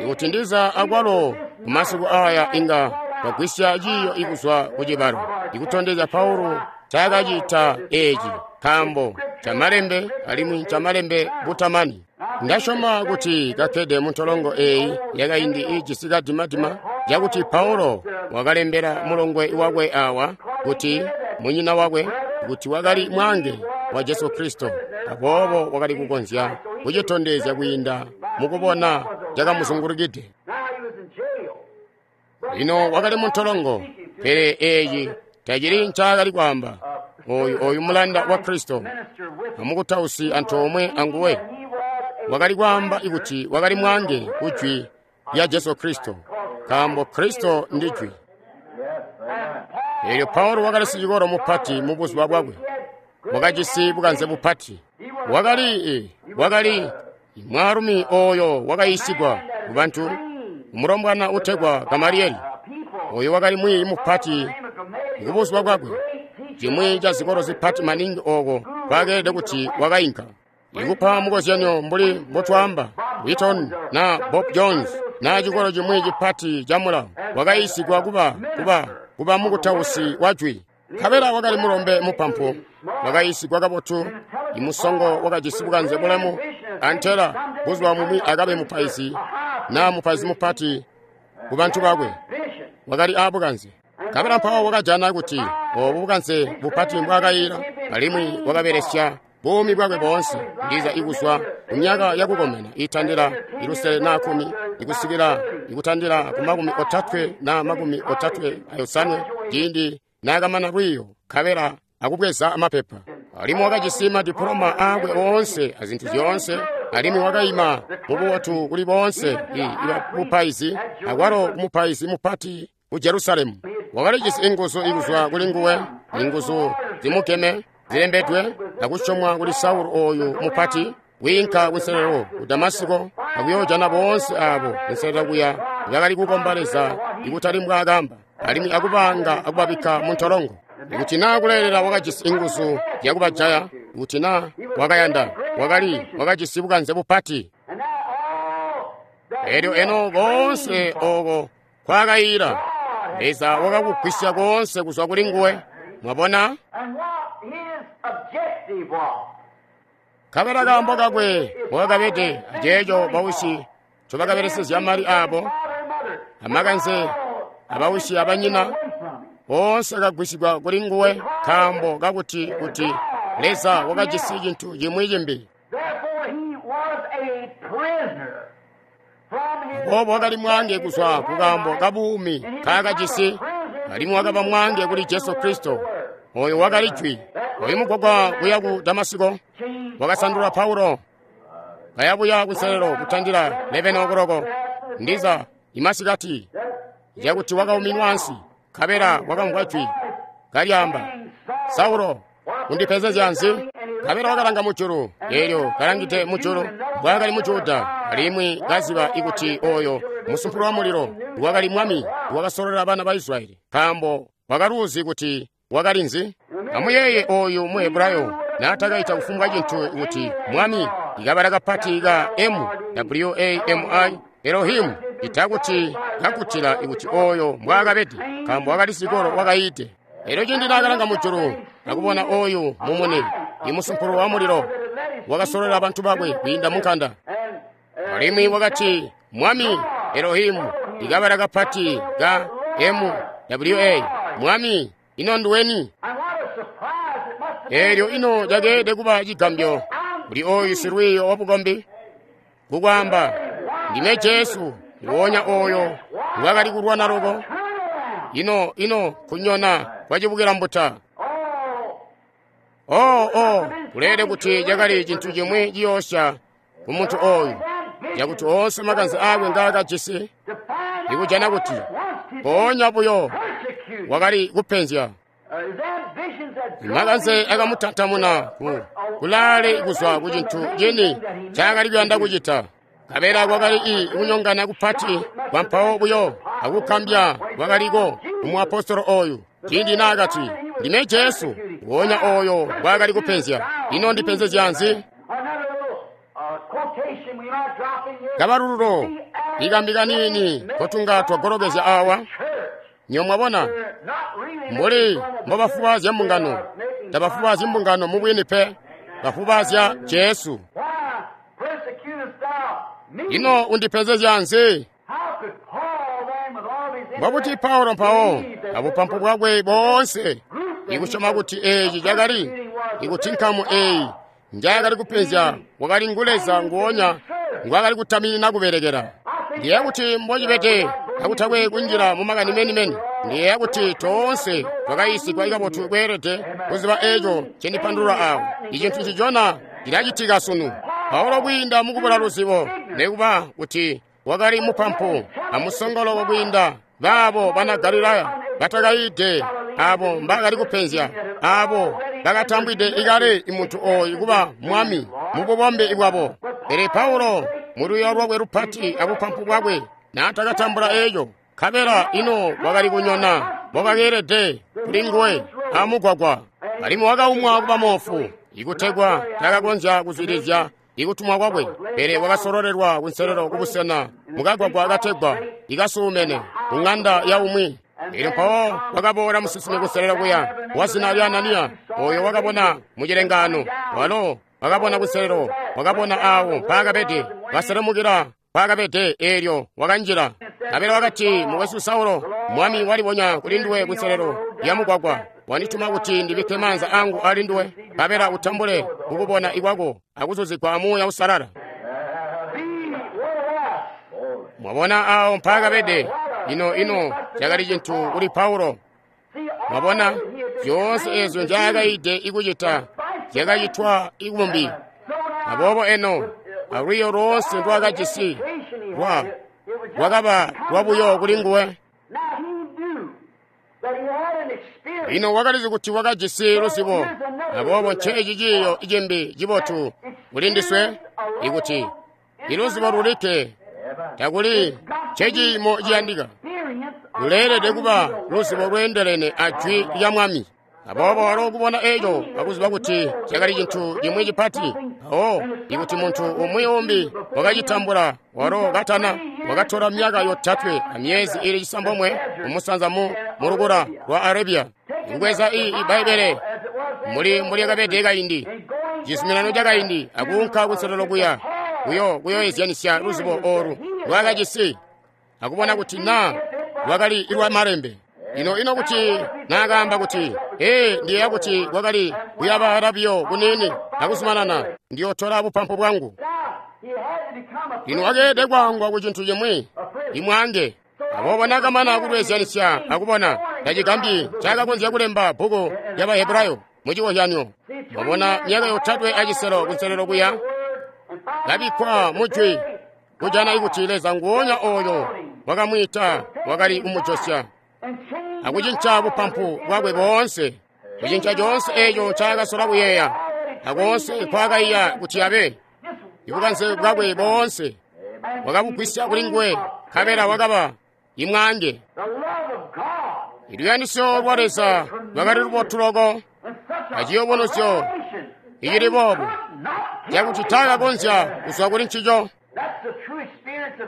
Speaker 1: Ikuti ndiza akwalo kumasiku aya inga twagwisya ciiyo ikuzwa ku cibalo ikutondezya Paulo ncaakacita eeci, nkaambo camalembe alimwi camalembe butamani. Ndasyoma kuti kakkede muntolongo eeyi yakaindi iijisi kadimadima cakuti Paulo wakalembela mulongwe wakwe awa kuti munyina wakwe, kuti wakali mwange wa Jesu Kristo, aboobo wakali kukonzya kucitondezya kwiinda mukubona cakamuzungulukide. Lino wakali muntolongo, pele eeci tacili ncaakali kwaamba. Oyu oyu mulanda wa Kristo amukutausi antoomwe anguwe wakali kwaamba kuti wakali mwange ku jwi lya Jesu Kristo, nkaambo Kristo ndi jwi. Eelyo Paulo wakali sicikolo mupati mu buzuba bwakwe, wakajisi bukanze bupati. Wakali wakali mwaalumi oyo wakayiisigwa kubantu, mulombwana utegwa Gamalieli, oyo wakali mwiiyi mupati kubuzuba bwakwe, cimwi ca zikolo zipati maningi oko kwakeelede kuti wakayinka. Ikupa mukozyanyo mbuli mbotwaamba Wheaton na Bob Jones na cikolo cimwi cipati ca mulawo, wakayiisigwa kuba kuba kuba mukutausi wa jwi. Nkabela wakali mulombe mupampu, wakayiisigwa kabotu, imusongo wakajisi bukanze bulemu, antela buzuba bumwi akabe mupaizi na mupaizi mupati ku bantu bakwe. Wakali aabukanze. Nkabela mpawo wakajana kuti obu bukanze bupati mbwaakayila, alimwi wakabelesya buumi bwakwe boonse, ndiza ikuzwa kumyaka yakukomena itandila ilusele na kumi ikusikila ikutandila ku makumi otatwe na makumi otatwe ayosanwe ciindi naakamana lwiiyo nkabela akubweza amapepa. Alimwi wakajisi madipuloma aakwe oonse azintu zyoonse, alimwi wakayima mububotu kuli boonse ibapaizi, akwalo kumupaizi mupati ku Jerusalemu. Wakalijisi inguzu ikuzwa kuli nguwe, inguzu zimugeme zilembedwe akusyomwa kuli Saulo oyu mupati, wiinka kunselelo ku Damasiko akuyoojana boonse abo kunselelo kuya bakali kukomba Leza ikutali mbwaakamba, alimwi akubanga akubabikka muntolongo. Ikuti naa kuleelela wakajisi inguzu zyakubajaya, ikuti naa wakayanda, wakali wakajisi bukanze bupati. Elyo eno koonse oko kwakayila, Leza wakakugwisya koonse kuzwa kuli nguwe. Mwabona? Nkabela kaambo kakwe wakakabede aceeco bawisi ncobakabelesezya mali aabo, amakanze abawisi abanyina, boonse akagwisigwa kuli nguwe, nkaambo kakuti kuti Leza wakajisi cintu cimwi cimbi. Aboobo wakali mwange kuzwa kukaambo kabuumi nkaakajisi, alimwi wakaba mwange kuli Jesu Kristo, oyo wakali jwi. Oyu mugwagwa kuya ku Damasiko wakasandula Paulo kayabuya kunselelo kutandila lebene okoloko ndiza imasikati, cakuti wakauminwa ansi. Nkabela wakamvwa jwi kalyaamba, Saulo, undipenzezya nzi? Nkabela wakalanga mujulu, eelyo kalangide mujulu mbwaakali mu Juda, alimwi kaziba ikuti oyo musumpulu wa mulilo wakali mwami wakasololela bana ba Israyeli, nkaambo wakaluzi kuti wakali nzi. Amuyeeye oyu mu Hebrayo naatakaita kufumbwa cintu kuti mwami, ikabala kapati ka M W A M I Elohimu, itakuti kakutila ikuti oyo mbwaakabede, nkaambo wakali sikolo wakayiide. Elyo cindi naakalanga mujulu akubona oyu mumuni, imusumpulu wa mulilo wakasololela bantu bakwe kwiinda munkanda, alimwi wakati mwami Elohimu, ikabala kapati ka M W A mwami, ino nduweni? Elyo ino cakeelede kuba cigambyo kuli oyu silwiiyo wabukombi kukwaamba, ndime Jesu nguwonya oyo ngwakali kulwana loko. Ino ino kunyona kwacibukila mbuta. Oh, oh, kuleelede kuti cakali cintu cimwi ciyoosya ku muntu oyu, cakuti oonse makanze aakwe ngaakajisi ikujana kuti mpoonya buyo wakali kupenzya. Makanze akamutantamuna ku kulaale kuzwa ku cintu cini ncaakali kuyanda kucita. Nkabela kwakali i kunyongana kupati kwampawo buyo akukambya kwakaliko umuapostolo oyu ciindi naakati, ndime Jesu nguwonya oyo ngwaakali kupenzya. Ino ndipenzezya nzi? Kabalululo ikambi kaniini kotunga twagolokezya awa. Nyo mwabona mbuli mbobafubaazya mbungano, tabafubaazyi mbungano mubwini pe, bafubaazya Jesu. Ino undipenzezya nzi? Mbobuti Paulo mpawo abupampu bwakwe boonse Ikusyoma kuti eeci cakali, ikuti nkamu eyi njaakali kupenzya wakali ngu Leza nguonya ngwaakali kutaminina kubelekela. Ndiyeeya kuti mbocibede kakutakwe kunjila mu makani menimeni. Ndiyeeya kuti toonse twakayiisigwa kabotu kweelede kuziba eeco ncendipandulula awo. Icintu ncicona cilacitika sunu. Paulo kwiinda mukubula luzibo, nekuba kuti wakali mupampu amusongolo kwiinda baabo bana Galilaya batakayiide, abo mbakali kupenzya, abo bakatambwide ikale imuntu ooyu kuba mwami mububombe bwabo. Pele Paulo mulwiyo lwakwe lupati abupampu bwakwe naatakatambula eeco, nkabela ino wakali kunyona mbokakeelede kuli nguwe amugwagwa, alimwi wakaumwa kuba moofu, ikutegwa takakonzya kuzwidilizya ikutumwa kwakwe, pele wakasololelwa kunselelo kubusena mukagwagwa kategwa ikasuumene ku ŋanda ya umwi. Elyo mpawo wakaboola musinsimi kunselelo kuya wa zina lya Ananiya, oyo wakabona mucilengaano. Walo wakabona kunselelo, wakabona awo mpaakabede, kaselemukila mpaakabede, eelyo wakanjila. Nkabela wakati, mukwesu Saulo, Mwami walibonya kuli nduwe kunselelo ya mugwagwa, wandituma kuti ndibikke maanza angu ali nduwe, nkabela utambule kukubona ikwako akuzuzigwa amuuya usalala. Mwabona awo mpaakabede. Ino ino cakali cintu kuli Paulo. Mwabona zyoonse eezyo nzyaakaide ikucita zyakacitwa ikumbi. Aboobo eno alwiyo loonse ndwaakajisi lwa lwakaba lwabuyo kuli nguwe. Lino wakalizi kuti wakajisi luzibo. Aboobo nceeci ciiyo cimbi cibotu kuli ndiswe, ikuti iluzibo lulikke takuli nceciimo ciyandika. Luleelede kuba luzibo lweendelene a jwi lya Mwami. Aboobo walo kubona eeco akuziba kuti cakali cintu cimwi cipati, mpawo ikuti muntu umwi umbi wakacitambula walo katana, wakatola myaka yotatwe amyezi ili cisambomwe kumusanza mu mulukula lwa Arabia, ikubweza i Ibbaibbele muli mbulyakabede kaindi, cizuminano cakaindi, akuunka kunselelo kuya kuyo kuyoezyanisya luzibo oolu lwakajisi akubona kuti naa lwakali lwa malembe. Ino ino kuti naakaamba kuti, ee, ndiyeeya kuti kwakali kuyabala biyo kuniini akuzumanana, ndiyotola bupampu bwangu. Lino wakeelede kwaangwa ku cintu cimwi, imwaange. Aboobo naakamana kulweezyanisya akubona, tacigambyi ncaakakonzya kulemba bbuku lya Bahebrayo mucikozyanyo. Mwabona myaka yotatwe aciselo kunselelo kuya kabikkwa mujwi, kujana ikuti Leza nguonya ooyo wakamwiita wakali kumujosya akucinca bupampu bwakwe boonse, kucinca coonse eeco ncaakasola kuyeeya akoonse nkwaakaiya kuti abe. Ibukanze bwakwe boonse wakabugwisya kuli nguwe, nkabela wakaba imwaange. Iluyandisyo lwa Leza lwakali lubotu loko aciyubunuzyo icili boobu cakuti taakakonzya kuzwa kuli ncico.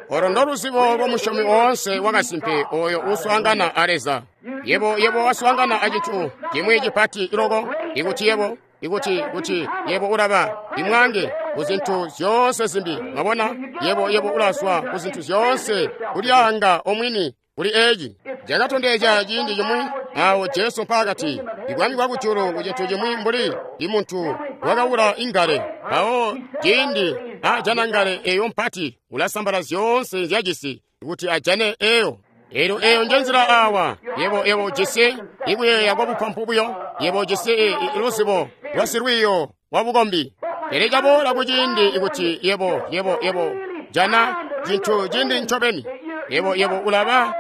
Speaker 1: Olo ndoluzibo lwa musyomi woonse wakasimpe oyo uuswaangana a Leza. Yebo yebo waswaangana a cintu cimwi cipati loko, ikuti yebo ikuti kuti yebo ulaba imwange ku zintu zyoonse zimbi. Mwabona, yebo yebo ulazwa ku zintu zyoonse, kulyaanga omwini kuli eeci. Cakatondezya ciindi cimwi awo Jesu mpaakati, ibwami bwakujulu ku cintu cimwi mbuli imuntu wakawula ingale. Mpawo ciindi ajana ngale eyo mpati, ulasambala zyoonse nzyajisi kuti ajane eyo. Elyo eyo njenzila awa. Yebo yebo ujisi ikuyeeya kwa bupampu buyo, yebo ujisi luzibo lwasilwiiyo wa bukombi. Pele caboola kuciindi ikuti yebo yebo yebo jana cintu cindi ncobeni, yebo yebo ulaba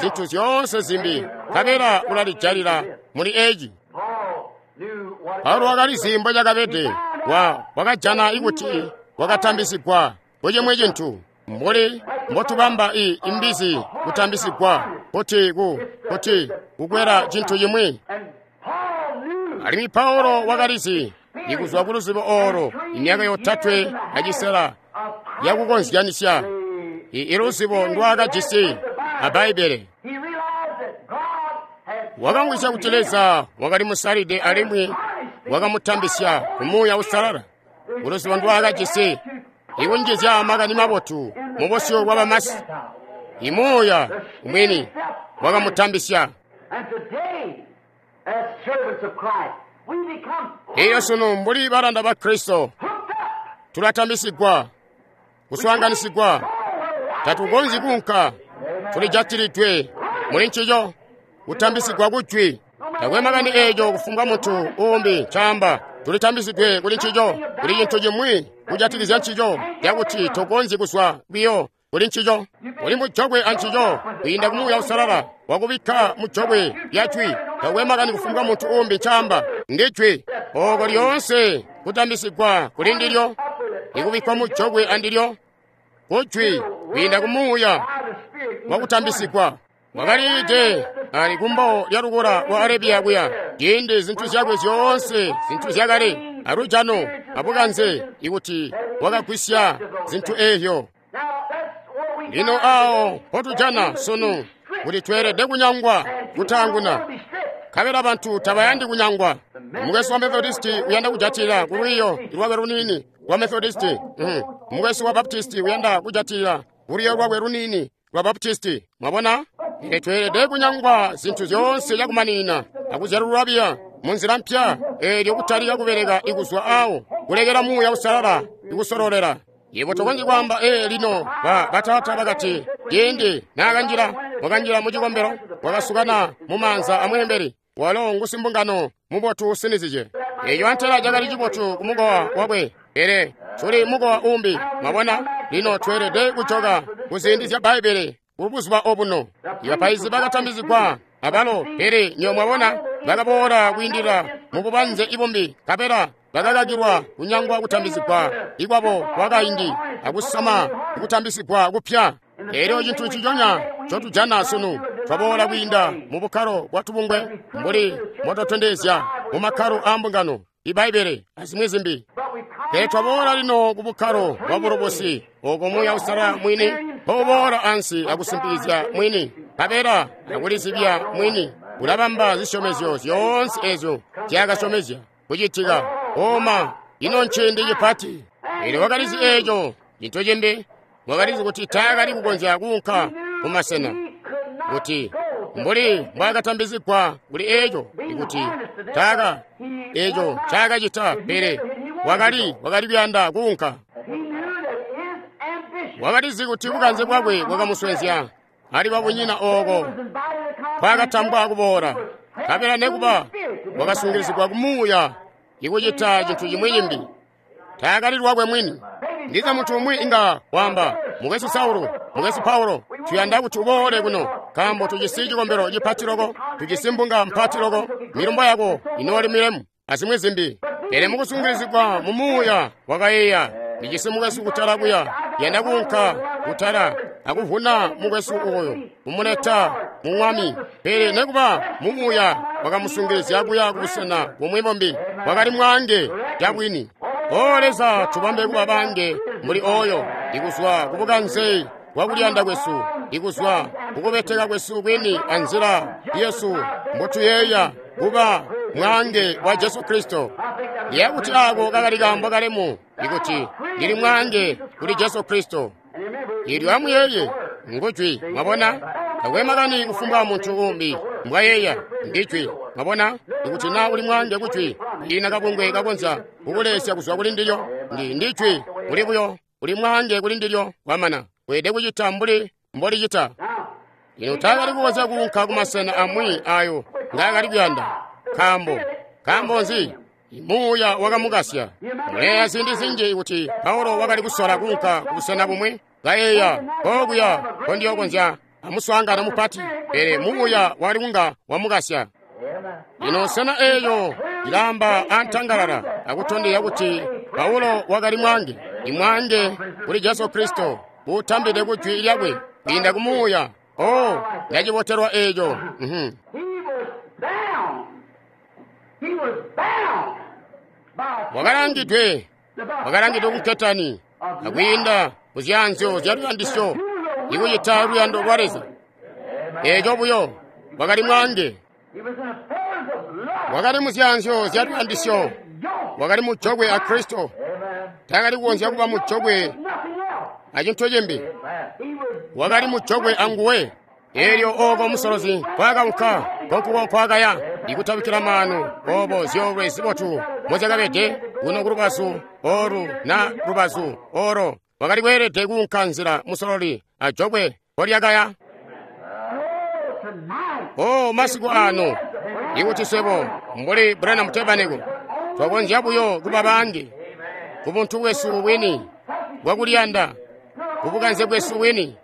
Speaker 1: zintu zyoonse zimbi, nkabela ulalijalila muli eci. Paulo wakalizi mbo cakabede. Wa wakajana ikuti wakatambisigwa kucimwi cintu, mbuli mbotubamba i imbizi kutambisigwa kuti ku kuti kukwela cintu cimwi. Alimwi Paulo wakalizi ikuzwa ku luzibo olo imyaka yotatwe acisela yakukonzyanisya iluzibo ndwaakajisi a Bbaibbele. Wakamvwisya kuti Leza wakali musalide alimwi wakamutambisya ku Muuya Uusalala. Kuluzibo ndwaakajisi ikunjizya makani mabotu mu busyu bwa bamasi, imuuya umwini wakamutambisya.
Speaker 2: as servants of Christ, we become
Speaker 1: Elyo sunu mbuli balanda ba Kristo
Speaker 2: hooked up.
Speaker 1: tulatambisigwa, kuswaanganisigwa, tatukonzyi kuunka, tulijatilidwe muli ncico, kutambisigwa kujwi. Takwe makani eeco kufumbwa muntu uumbi ncaamba, tulitambisidwe kuli ncico, kuli cintu cimwi kujatikizya ncico, cakuti tokonzyi kuzwa biyo kuli ncico. Uli mujokwe ancico kwiinda ku Muuya Uusalala wakubikka mujokwe lya jwi. Takwe makani kufumbwa muntu uumbi ncaamba, ndi jwi. Ooko lyoonse kutambisigwa kuli ndilyo, ikubikkwa mujokwe andilyo, kujwi kwiinda ku Muuya
Speaker 2: By the Spirit,
Speaker 1: wakutambisigwa. Wakaliide ali kumbo lya lukula lwa Arabiya kuya, ciindi zintu zyakwe zyoonse zintu zyakale alujano abukanze ikuti wakagwisya zintu eezyo.
Speaker 2: Now that's what we
Speaker 1: Lino awo mpotujana sunu kuti tweelede kunyangwa kutaanguna,
Speaker 2: be stripped.
Speaker 1: nkabela bantu tabayandi kunyangwa. Mukwesu wa Methodisti uyanda kujatilila ku lwiiyo lwakwe luniini lwa Methodisti. Mm. Mukwesu wa Baptisti uyanda kujatilila ku lwiiyo lwakwe luniini lwa Baptisti. Mwabona? Pele tweelede kunyangwa zintu zyoonse cakumaninina akuzyalulwa biya munzila mpya eelyo kutalika kubeleka ikuzwa awo, kulekela Muuya Uusalala ikusololela. Yebo tokonzyi kwaamba, ee, lino ba bataata bakati, ciindi naakanjila, wakanjila mu cikombelo, wakasukana mu maanza amweembeli. Walo ngusimbungano mubotu usinizije. Eeco antela cakali cibotu ku mukowa wakwe, pele tuli mukowa umbi. Mwabona? Lino tweelede kujoka ku ziindi zya Bbaibbele ku buzuba obuno. Ibapaizi bakatambizigwa abalo, pele nyo mwabona bakaboola kwiindila mu bubanze ibumbi, nkabela bakakakilwa kunyangwa kutambizigwa ikwabo kwakaindi akusama kutambisigwa kupya. Elyo cintu nciconya ncotujana sunu, twaboola kwiinda mu bukkalo bwa tubungwe mbuli mbotwatondezya mu makkalo aa mbungano, Ibbaibbele azimwi zimbi.
Speaker 2: But we come
Speaker 1: Pele twaboola lino ku bukkalo bwa bulobosi, oko Muuya Uusalala mwini mpouboola ansi akusimpikizya mwini, nkabela akulizibya mwini, ulabamba zisyomezyo zyoonse ezyo nzyaakasyomezya kucitika. Oma, ino nciindi cipati! Elyo wakalizi eeco. Cintu cimbi, wakalizi kuti taakali kukonzya kuunka ku masena, kuti mbuli mbwaakatambizigwa kuli eeco, ikuti taaka eeco ncaakacita, pele wakali wakali kuyanda kuunka.
Speaker 2: He knew that his ambition
Speaker 1: Wakalizi kuti bukanze bwakwe bwakamuswenzya ali babunyina ooko
Speaker 2: was invited to come.
Speaker 1: kwakatambwa kuboola, nkabela nekuba wakasungilizigwa kumuuya ikucita cintu cimwi cimbi. Taakali lwakwe mwini. Ndiza muntu umwi inga waamba, mukwesu Saulo, mukwesu Paulo, tuyanda kuti uboole kuno, nkaambo tujisi cikombelo cipati loko, tujisi mbunga mpati loko, milumbo yako inooli milemu, azimwi zimbi. Pele mukusungilizigwa mu muuya wakayeeya, ndijisi mukwesu kutala kuya, yanda kuunka kutala akuvuna mukwesu oyo, kumuleta mu Mwami. Pele nekuba mu muuya wakamusungilizya kuya kubusena bumwi bumbi, wakali mwaange cabwini. O Leza, tubambe kuba bange muli oyo, ikuzwa kubukanze bwakuliyanda kwesu, ikuzwa kukubeteka kwesu kwini anzila yesu mbotuyeeya kuba mwaange wa Jesu Kristo. Ndiye kuti ako kakali kaambo kalemu, ikuti ndili mwaange kuli Jesu Kristo. Ilyo amuyeeye ngujwi, mwabona? Takwe makani kufumbwa muntu umbi mbwayeeya, ndijwi, mwabona? Ikuti na uli mwaange kujwi, ina kabungwe kakonzya kukulesya kuzwa kuli ndilyo, ndi ndijwi, uli buyo, uli mwaange kuli ndilyo, kwamana. Weelede kucita mbuli mbolicita. Lino taakali kukonzya kuunka ku masena amwi ayo ngaakali kuyanda. Nkaambo, nkaambo nzi? Muuya wakamukasya. Muleya ziindi zinji kuti Paulo wakali kusola kuunka ku busena bumwi, kayeeya kokuya kondiyokonzya amuswaangano mupati, pele muuya wakali kunga wamukasya. Lino sena eeyo ilaamba antangalala akutondezya kuti Paulo wakali mwaange, imwaange kuli Jesu Kristo, uutambide ku jwi lyakwe kwiinda ku muuya. Oh, ndacibotelwa eeco. Mhm.
Speaker 2: He was bound. He was bound by
Speaker 1: Wakalangidwe, wakalangidwe ku nketani akwiinda kuzyaanzyo zya luyandisyo ikucita luyando lwa Leza. Eeco buyo wakali mwaange,
Speaker 2: He was in the fetters of love.
Speaker 1: wakali muzyaanzyo zya luyandisyo,
Speaker 2: Yoke.
Speaker 1: wakali mujokwe a Kristo. Taakali kukonzya kuba mujokwe
Speaker 2: Nothing else.
Speaker 1: acintu cimbi,
Speaker 2: He was
Speaker 1: wakali mujokwe anguwe. Eelyo ooko musolozi kwakaunka, nkonkuko kwakaya. Ikutabikkila maanu obo zyoolwe zibotu mozyakabede kuno ku lubazu olu na lubazu oro, wakali kweelede kuunka nzila musololi ajokwe mpolyakaya. Oh, masiku ano, ikuti swebo mbuli Branham Tabernacle twakonzya buyo kuba bangi ku buntu bwesu bwini bwakuliyanda, ku bukanze bwesu bwini,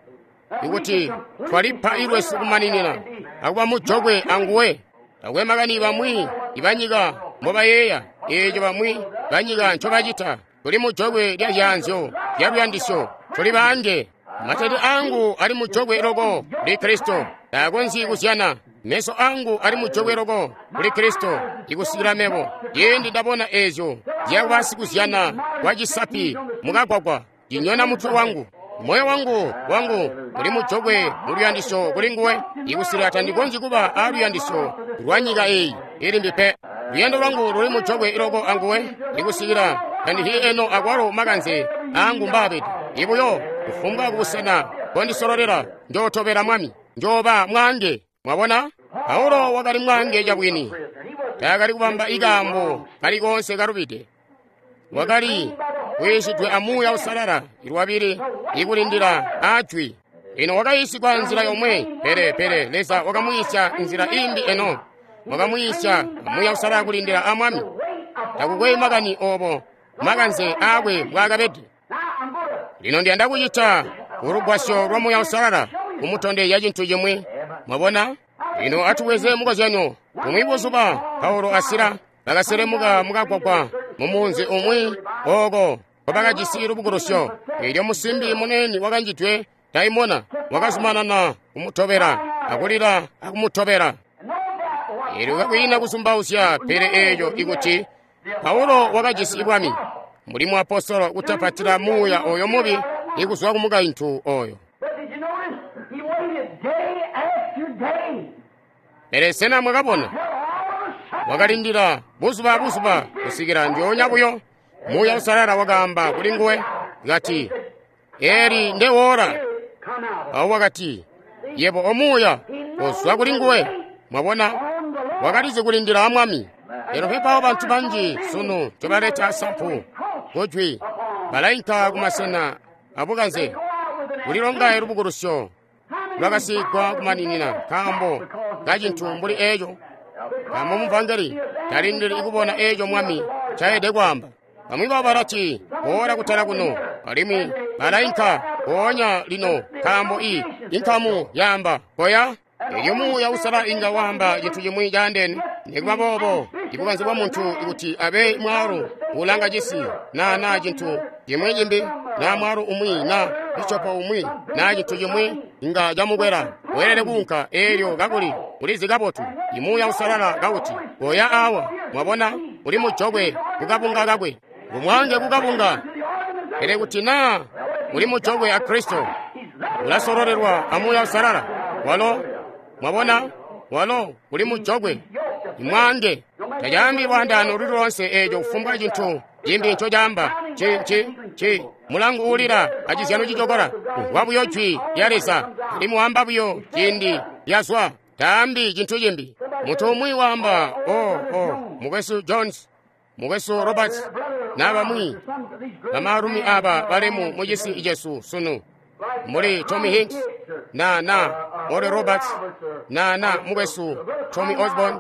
Speaker 1: ikuti twalipa ilwesu kumaninina akuba mujokwe anguwe. Takwe makani bamwi ibanyika mbobayeeya, eeco bamwi banyika ncobacita. Tuli mujokwe lya zyaanzyo lya luyandisyo, tuli baange. Matete angu ali mujokwe loko kuli Kristo, taakonzyi kuzyana. Meso angu ali mujokwe loko kuli Kristo, ikusikila mebo ciindi ndabona eezyo zyakuba sikuzyana kwa cisapi mukagwagwa, cinyona mutwe wangu. Moyo wangu wangu uli mujokwe mu luyandisyo kuli nguwe, ikusikila tandikonzyi kuba a luyandisyo lwa nyika eyi ilimbi pe. Luyando lwangu luli mujokwe loko anguwe, ikusikila tandihyi eno akwalo makanze angu mbaabede. Ibuyo kufumbwa kubusena mbondisololela, njootobela Mwami, njooba mwaange. Mwabona, Paulo wakali mwaange cabwini, taakali kubamba ikaambo kali koonse kalubide. Wakali kuyiisidwe a Muuya Uusalala ilwabili ikulindila ajwi. Ino wakayiisigwa nzila yomwe, pele pele Leza wakamwiisya nzila imbi eno. Wakamwiisya a Muuya Uusalala kulindila a Mwami. Takukwe makani obo makanze aakwe mbwaakabede. Lino ndiyanda kucita kulugwasyo lwa Muuya Uusalala kumutondezya cintu cimwi. Mwabona? Lino atubweze mukozyanyo. Bumwi buzuba Paulo a Sila bakaselemuka mukagwagwa mumunzi umwi ooko nkobakajisi lubukulusyo. Eelyo musimbi munene wakanjidwe daimona wakazumanana kumutobela akulila akumutobela. Eelyo kakwiina kuzumbauzya, pele eeco ikuti Paulo wakajisi bwami mbuli muapostolo kutapatila muuya oyo mubi ikuzwa ku mukaintu oyo.
Speaker 2: But did you notice he waited day after day
Speaker 1: Pele sena mwakabona?
Speaker 2: till all of a sudden
Speaker 1: Wakalindila buzuba buzuba kusikila ndyoonya buyo Muuya Uusalala wakaamba kuli nguwe kati, "Eli ndewola."
Speaker 2: come out
Speaker 1: Awo wakati, "Yebo omuuya kozwa kuli nguwe." Mwabona, wakalizi kulindila a Mwami. Lero pepawo bantu banji sunu ncobaleta sampu kujwi, balainka kumasena abukanze kulilonga lubukulusyo lwakasiigwa kumaninina nkaambo kacintu mbuli eeco. Nkaambo muvangeli talindili ikubona eeco Mwami ncaelede kwaamba. Bamwi babo balati, "Boola kutala kuno," alimwi balainka mpoonya lino nkaambo i inkamu yaamba koya. Elyo Muuya Uusalala inga waamba cintu cimwi caandeene. Nikuba boobo, ibukanze bwa muntu kuti abe mwaalu ulanga cisi na na cintu cimwi cimbi, na mwaalu umwi na bishopo umwi na cintu cimwi inga camukwela. Weelede kuunka eelyo kakuli ulizi kabotu imuuya Uusalala kauti koya awa. Mwabona, uli mujokwe kukabunga kakwe, ngumwange kukabunga. Pele kuti naa uli mujokwe a Kristo, ulasololelwa a Muuya Uusalala. Walo, mwabona, walo uli mujokwe imwange. Tacaambi lwaandaano luli loonse eeco kufumbwa cintu cimbi ncocaamba. Ci ci ci mulangu uulila acizyano cicokola umvwa buyo jwi lya Leza, alimwi waamba buyo ciindi lyazwa, taambi cintu cimbi. Muntu umwi waamba, "Oh, oh, mukwesu Jones, mukwesu Roberts, na bamwi bamaalumi aba balemu mu cisi cesu sunu, mbuli Tommy Hicks na na Oral Roberts na na mukwesu Tommy Osborne,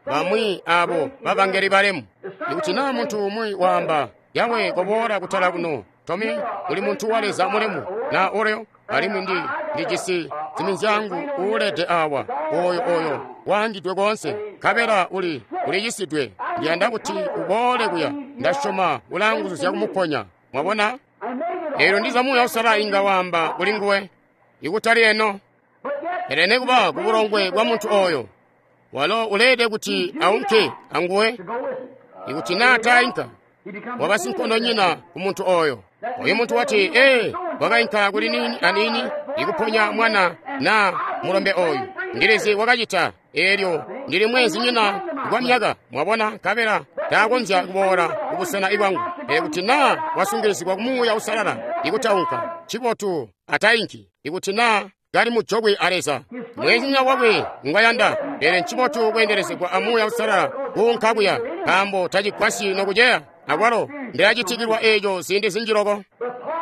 Speaker 1: bamwi abo babangeli balemu." Ikuti naa muntu umwi waamba, "Yawe, koboola kutala kuno, Tommy, uli muntu wa Leza mulemu, na Oral, alimwi ndi ndijisi ziminzyangu uulede awa, oyo oyo waangidwe koonse, nkabela uli uliyisidwe, ndiyanda kuti uboole kuya, ndasyoma ulaanguzu zyakumuponya." Mwabona? Eelyo ndiza Muuya Uusalala inga waamba kuli nguwe, ikutali eno, pele nekuba kubulongwe bwa muntu oyo, walo uleede kuti aunke anguwe. Ikuti naa tainka, waba sinkondonyina ku muntu oyo. Oyo muntu wati, "Ee, wakainka kuli nini anini ikuponya mwana na mulombe oyu. Ndilizi wakacita, eelyo ndili mweenzinyina kwa myaka." Mwabona, nkabela taakonzya kuboola kubusena ibwangu. Pele kuti naa wasungilizigwa ku Muuya Uusalala ikutaunka, ncibotu atainki. Ikuti naa kali mujokwe a Leza. Mwezinya wakwe ngwayanda, pele ncibotu kweendelezegwa a Muuya Uusalala kuunka kuya, nkaambo tacigwasyi nokuceya. Akwalo ndilacitikilwa eeco ziindi zinji loko.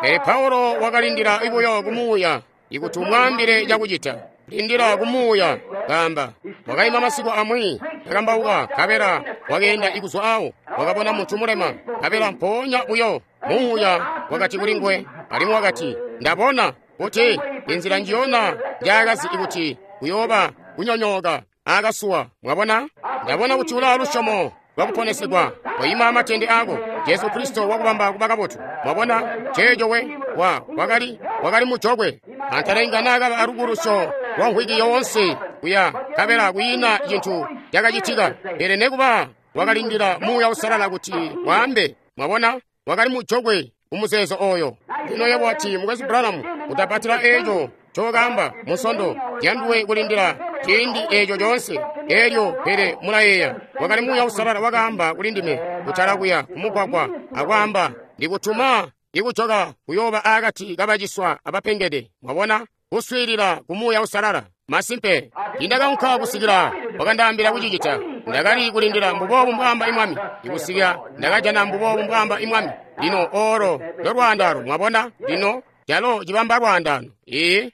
Speaker 1: Pele Paulo wakalindila buyo ku Muuya ikuti umwaambile cakucita. Lindila ku Muuya, kaamba. Wakaima masiku amwi, kakambauka, nkabela wakeenda ikuzwa awo, wakabona muntu mulema, nkabela mpoonya buyo Muuya wakati kuli nguwe, alimwi wakati, ndabona kuti inzila njiyona njaakazi ikuti kuyooba kunyonyooka akasuwa. Mwabona? Ndabona kuti ulaa lusyomo lwakuponesegwa, koima amatende ako. Jesu Kristo wakubamba kuba kabotu. Mwabona? Ceeco we wa wakali wakali mujokwe. Antale naakaba alubulusyo lwa mvwiki yoonse kuya, nkabela kwiina cintu cakacitika. Pele nekuba wakalindila Muuya Uusalala kuti waambe. Mwabona? Wakali mujokwe kumuzeezo oyo. Lino yebo wati, Mukwesu Branham, utapatila eeco ncokaamba Munsondo, yanduwe kulindila ciindi eeco coonse. Elyo pele mulayeeya, wakali Muuya Uusalala wakaamba kuli ndime kutala kuya kumugwagwa akwaamba, ndikutuma ikujoka kuyooba akati kabaciswa abapengede. Mwabona? Kuswiilila ku Muuya Uusalala. Masimpe, ndakaunka kusikila wakandaambila kucicita. Ndakali kulindila mbuboobu mbwaamba imwami, ikusikila ndakajana mbuboobu mbwaamba imwami. Lino olo lolwaandano, mwabona? Lino calo cibamba lwaandano. Ee,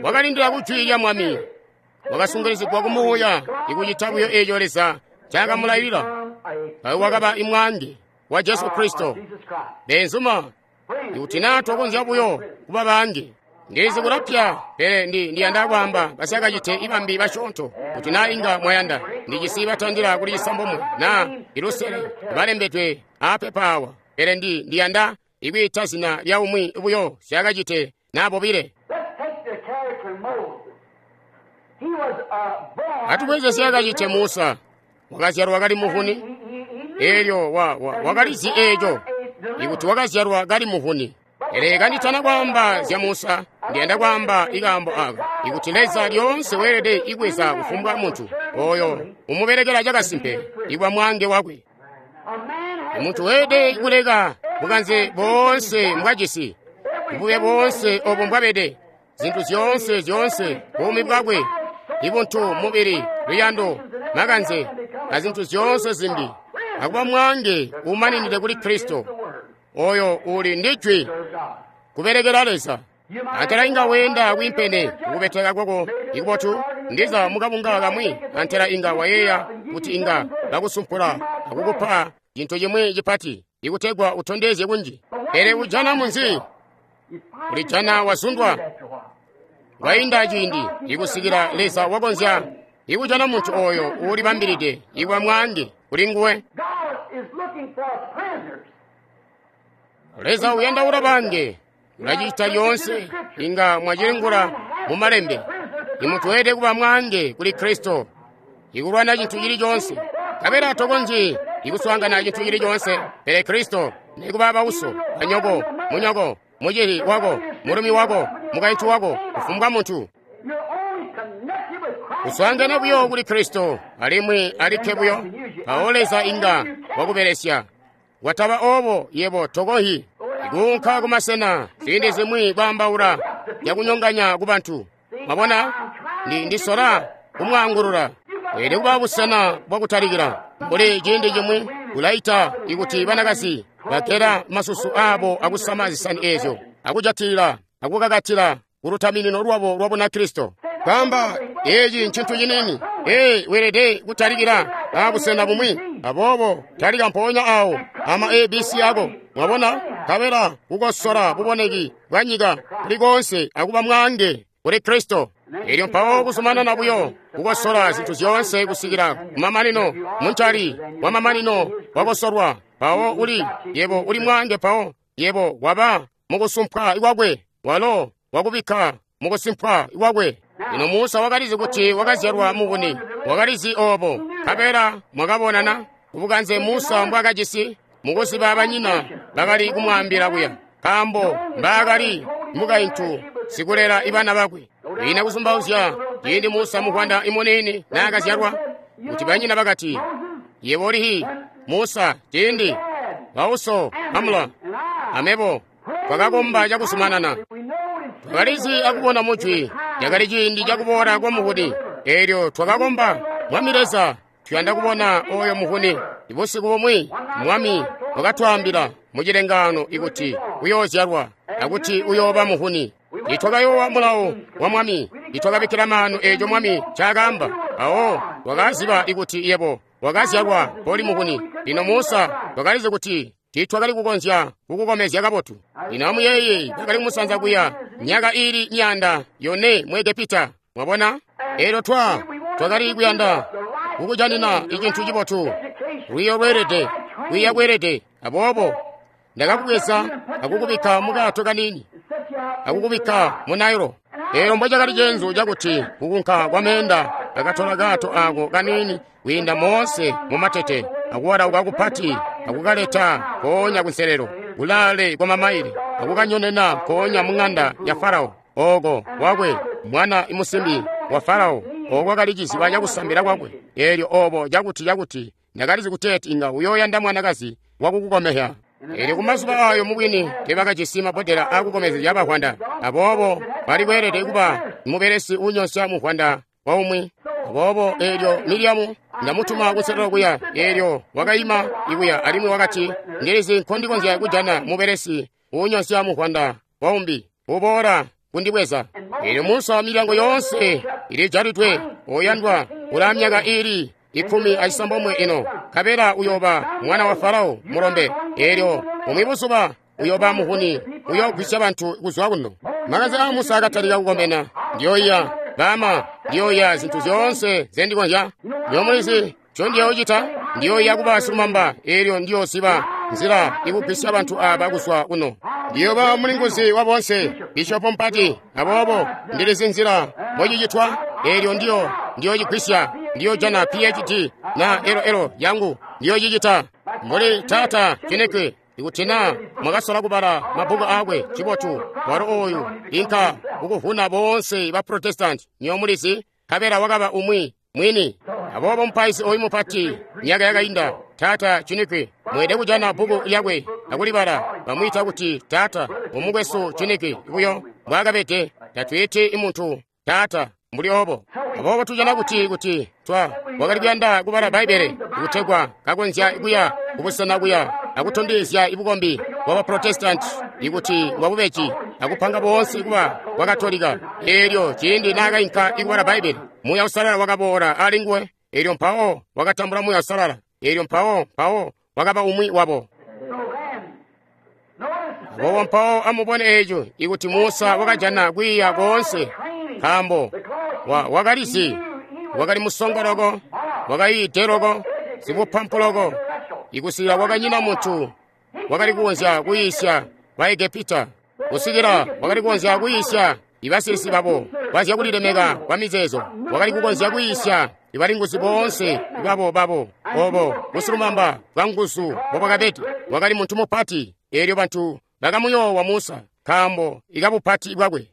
Speaker 1: wakalindila ku jwi lya Mwami, wakasungilizigwa ku Muuya ikucita buyo eeco Leza ncaakamulayilila. Ayo wakaba imwange wa Jesu Kristo. Beenzuma, ikuti naa tokonzya buyo kuba bange, ndizi kulapya, pele ndi ndiyanda kwaamba basyakacite ibambi basyoonto, kuti naa inga mwayanda. Ndijisi batandila kuli cisambomwe naa ilusele balembedwe aapepa awa, pele ndi ndiyanda ikwiita zina lya umwi buyo syakacite naa bobile. Atubweze syakacite Musa, wakazyalwa kali muvuni. Elyo wa, wa, wakalizi eeco ikuti wakazyalwa kali muvuni. Pele kanditana kwaamba zya Musa, ndiyanda kwaamba ikaambo aka, ikuti Leza lyoonse weelede ikweza kufumbwa muntu oyo umubelekela cakasimpe ikwa mwange wakwe. Muntu weelede kuleka bukanze boonse mbwajisi, bube boonse obo mbwabede, zintu zyoonse zyoonse, buumi bwakwe, ibuntu, mubili, luyando, makanze, azintu zyoonse zimbi, akuba mwange umaninide kuli Kristo, oyo uli ndi jwi, kubelekela Leza. Antela inga weenda kwiimpene kukubeteka kwako ikubotu, ndiza mukabunga kamwi, antela inga wayeeya kuti inga bakusumpula akukupa cintu cimwi cipati ikutegwa utondezye kunji. Pele ujana munzi, ulijana wazundwa, wainda ciindi ikusikila Leza wakonzya ikujana muntu oyo uulibambilide ikwa mwange kuli nguwe. Leza uyandaula bange, ulacita lyoonse inga mwacilingula mu malembe. Imuntu weelede kuba mwange kuli Kristo, ikulwana cintu cili coonse. Nkabela tokonzyi ikuswaangana cintu cili coonse pele Kristo, nikuba bauso, banyoko, munyoko, mucili wako, mulumi wako, mukaintu wako, kufumbwa muntu. Kuswaangana buyo kuli Kristo, alimwi alikke buyo, mpawo Leza inga wakubelesya. Wataba obo yebo tokohi ikuunka kumasena ziindi zimwi kwaambaula cakunyonganya ku bantu. Mwabona, ndi ndisola kumwaangulula. Weelede kuba busena bwakutalikila. Mbuli ciindi cimwi kulaita ikuti banakazi bagela masusu aabo akusama zisani eezyo, akujatilila akukakatila kulutaminino lwabo lwa Bunakristo. Kwaamba eeci ncintu ciniini. Ee, weelede kutalikila abusena bumwi. Aboobo talika mpoonya awo ama A B C ako. Mwabona? Nkabela kukosola buboneki bwa nyika kuli koonse akuba mwange kuli Kristo. Elyo mpawo kuzumanana buyo kukosola zintu zyoonse kusikila kumamanino, muncali wa mamanino wakosolwa. Mpawo uli yebo uli mwange, mpawo yebo waba mukusumpwa ikwakwe, walo wakubikka mukusimpwa ikwakwe. Lino Musa wakalizi kuti wakazyalwa mubuni, wakalizi obo. Nkabela mwakabonana kubukanze Musa mbwakajisi mukuziba banyina bakali kumwaambila kuya, nkaambo mbaakali mukaintu sikulela ibana bakwe. Kwiina kuzumbauzya ciindi Musa muvwanda imuniini naakazyalwa, kuti banyina bakati, yebo ulihi Musa, ciindi bauso Amula amebo twakakomba cakuzumanana. Twakalizi akubona mujwi yakali ciindi cakuboola kwa muhuni. Eelyo twakakomba, Mwami Leza, tuyanda kubona oyo muhuni. Ibusiku bumwi Mwami wakatwaambila mu cilengaano ikuti uyoozyalwa akuti uyooba muhuni. Nitwakayoowa mulawo wa Mwami, nitwakabikkila maanu eeco Mwami ncaakaamba. Awo twakaziba ikuti yebo wakazyalwa koli muhuni. Lino Musa twakalizi kuti tiitwakali kukonzya kukukomezya kabotu. Lino amuyeeye bakali kumusanza kuya myaka iili myaanda yone mu Egepita. Mwabona? Eelyo twa twakali kuyanda kukujanina icintu cibotu, lwiiyo lweelede, kwiiya kweelede. Aboobo ndakakubweza akukubikka mukaato kaniini, akukubikka mu Nailo. Eelyo mbocakali ceenzu cakuti kukunka kwa meenda akatola kaato ako kaniini kwiinda moonse mumatete akuwalauka kupati akukaleta mpoonya kunselelo kulaale kwa mamaile akukanyonena mpoonya mu ŋanda ya Farao ooko wakwe mwana musimbi wa Farao ooko kali ciziba cakusambila kwakwe. Eelyo obo cakuti cakuti ndakalizi kuteeti inga uyooyanda mwanakazi wakukukomehya. Eelyo kumazuba ayo mubwini teebakajisi mabbodela aakukomezya bavwanda, aboobo bali kweelede kuba mubelesi uunyonsya muvwanda waumwi. Aboobo eelyo Miriamu ndamutuma kunselelo kuya, eelyo wakaima ikuya alimwi wakati, ndilizi nkondikonzya kujana mubelesi uunyonsya muvwanda waumbi uboola kundibweza. Eelyo Musa milyango yoonse ilijalidwe, oyandwa ulaa myaka iili ikumi acisambomwe ino, nkabela uyooba mwana wa Farao mulombe. Eelyo bumwi buzuba uyooba muhuni, uyoogwisya bantu kuzwa kuno. Makanze aa Musa akatalika kukomena. Ndiyoiya bama, ndiyoiya zintu zyoonse zendikonzya. Nyomulizi ncondiyoocita, ndiyoiya kuba silumamba. Eelyo ndiyoziba nzila ikugwisya bantu aaba kuzwa kuno. Ndiyooba mulinguzi wa boonse, bishopo mpati. Aboobo ndilizi nzila mbocicitwa. Eelyo ndiyo ndiyocigwisya, ndiyojana P H D na L L yangu, ndiyocicita mbuli taata Chineke. Ikuti naa mwakasola kubala mabbuku aakwe, cibotu walo oyu inka kukuvuna boonse ba Protestanti, nyomulizi, nkabela wakaba umwi mwini. Aboobo mupaizi oyu mupati myaka yakainda, taata Chineke, mweede kujana bbuku lyakwe akulibala. Bamwiita kuti taata, umukwesu Chineke buyo mbwaakabede. Tatwiiti muntu taata mbuli obo. Aboobo tujana kuti kuti twa wakali kuyanda kubala Bbaibbele kutegwa kakonzya kuya kubusena kuya akutondezya ibukombi bwa Baprotestanti ikuti bwabubeji akupanga boonse kuba bwa Katolika. Eelyo ciindi naakainka ikubala Bbaibbele, Muuya Uusalala wakaboola ali nguwe. Eelyo mpawo wakatambula Muuya Uusalala. Eelyo mpawo mpawo wakaba umwi wabo. Aboobo mpawo amubone eeco ikuti Musa wakajana kwiiya koonse, nkaambo wa wakalizi, wakali musongo loko, wakayiide loko, sibupampu loko, ikusikila kwakanyina muntu wakali kukonzya kuyiisya Baegepita, kusikila wakali kukonzya kuyiisya ibasilisi babo bazyakulilemeka kwa mizeezo, wakali kukonzya kuyiisya ibalinguzi boonse babo babo obo busilumamba bwa nguzu mbobwakabede. Wakali muntu mupati. Eelyo bantu bakamuyoowa Musa nkaambo ikabupati bwakwe.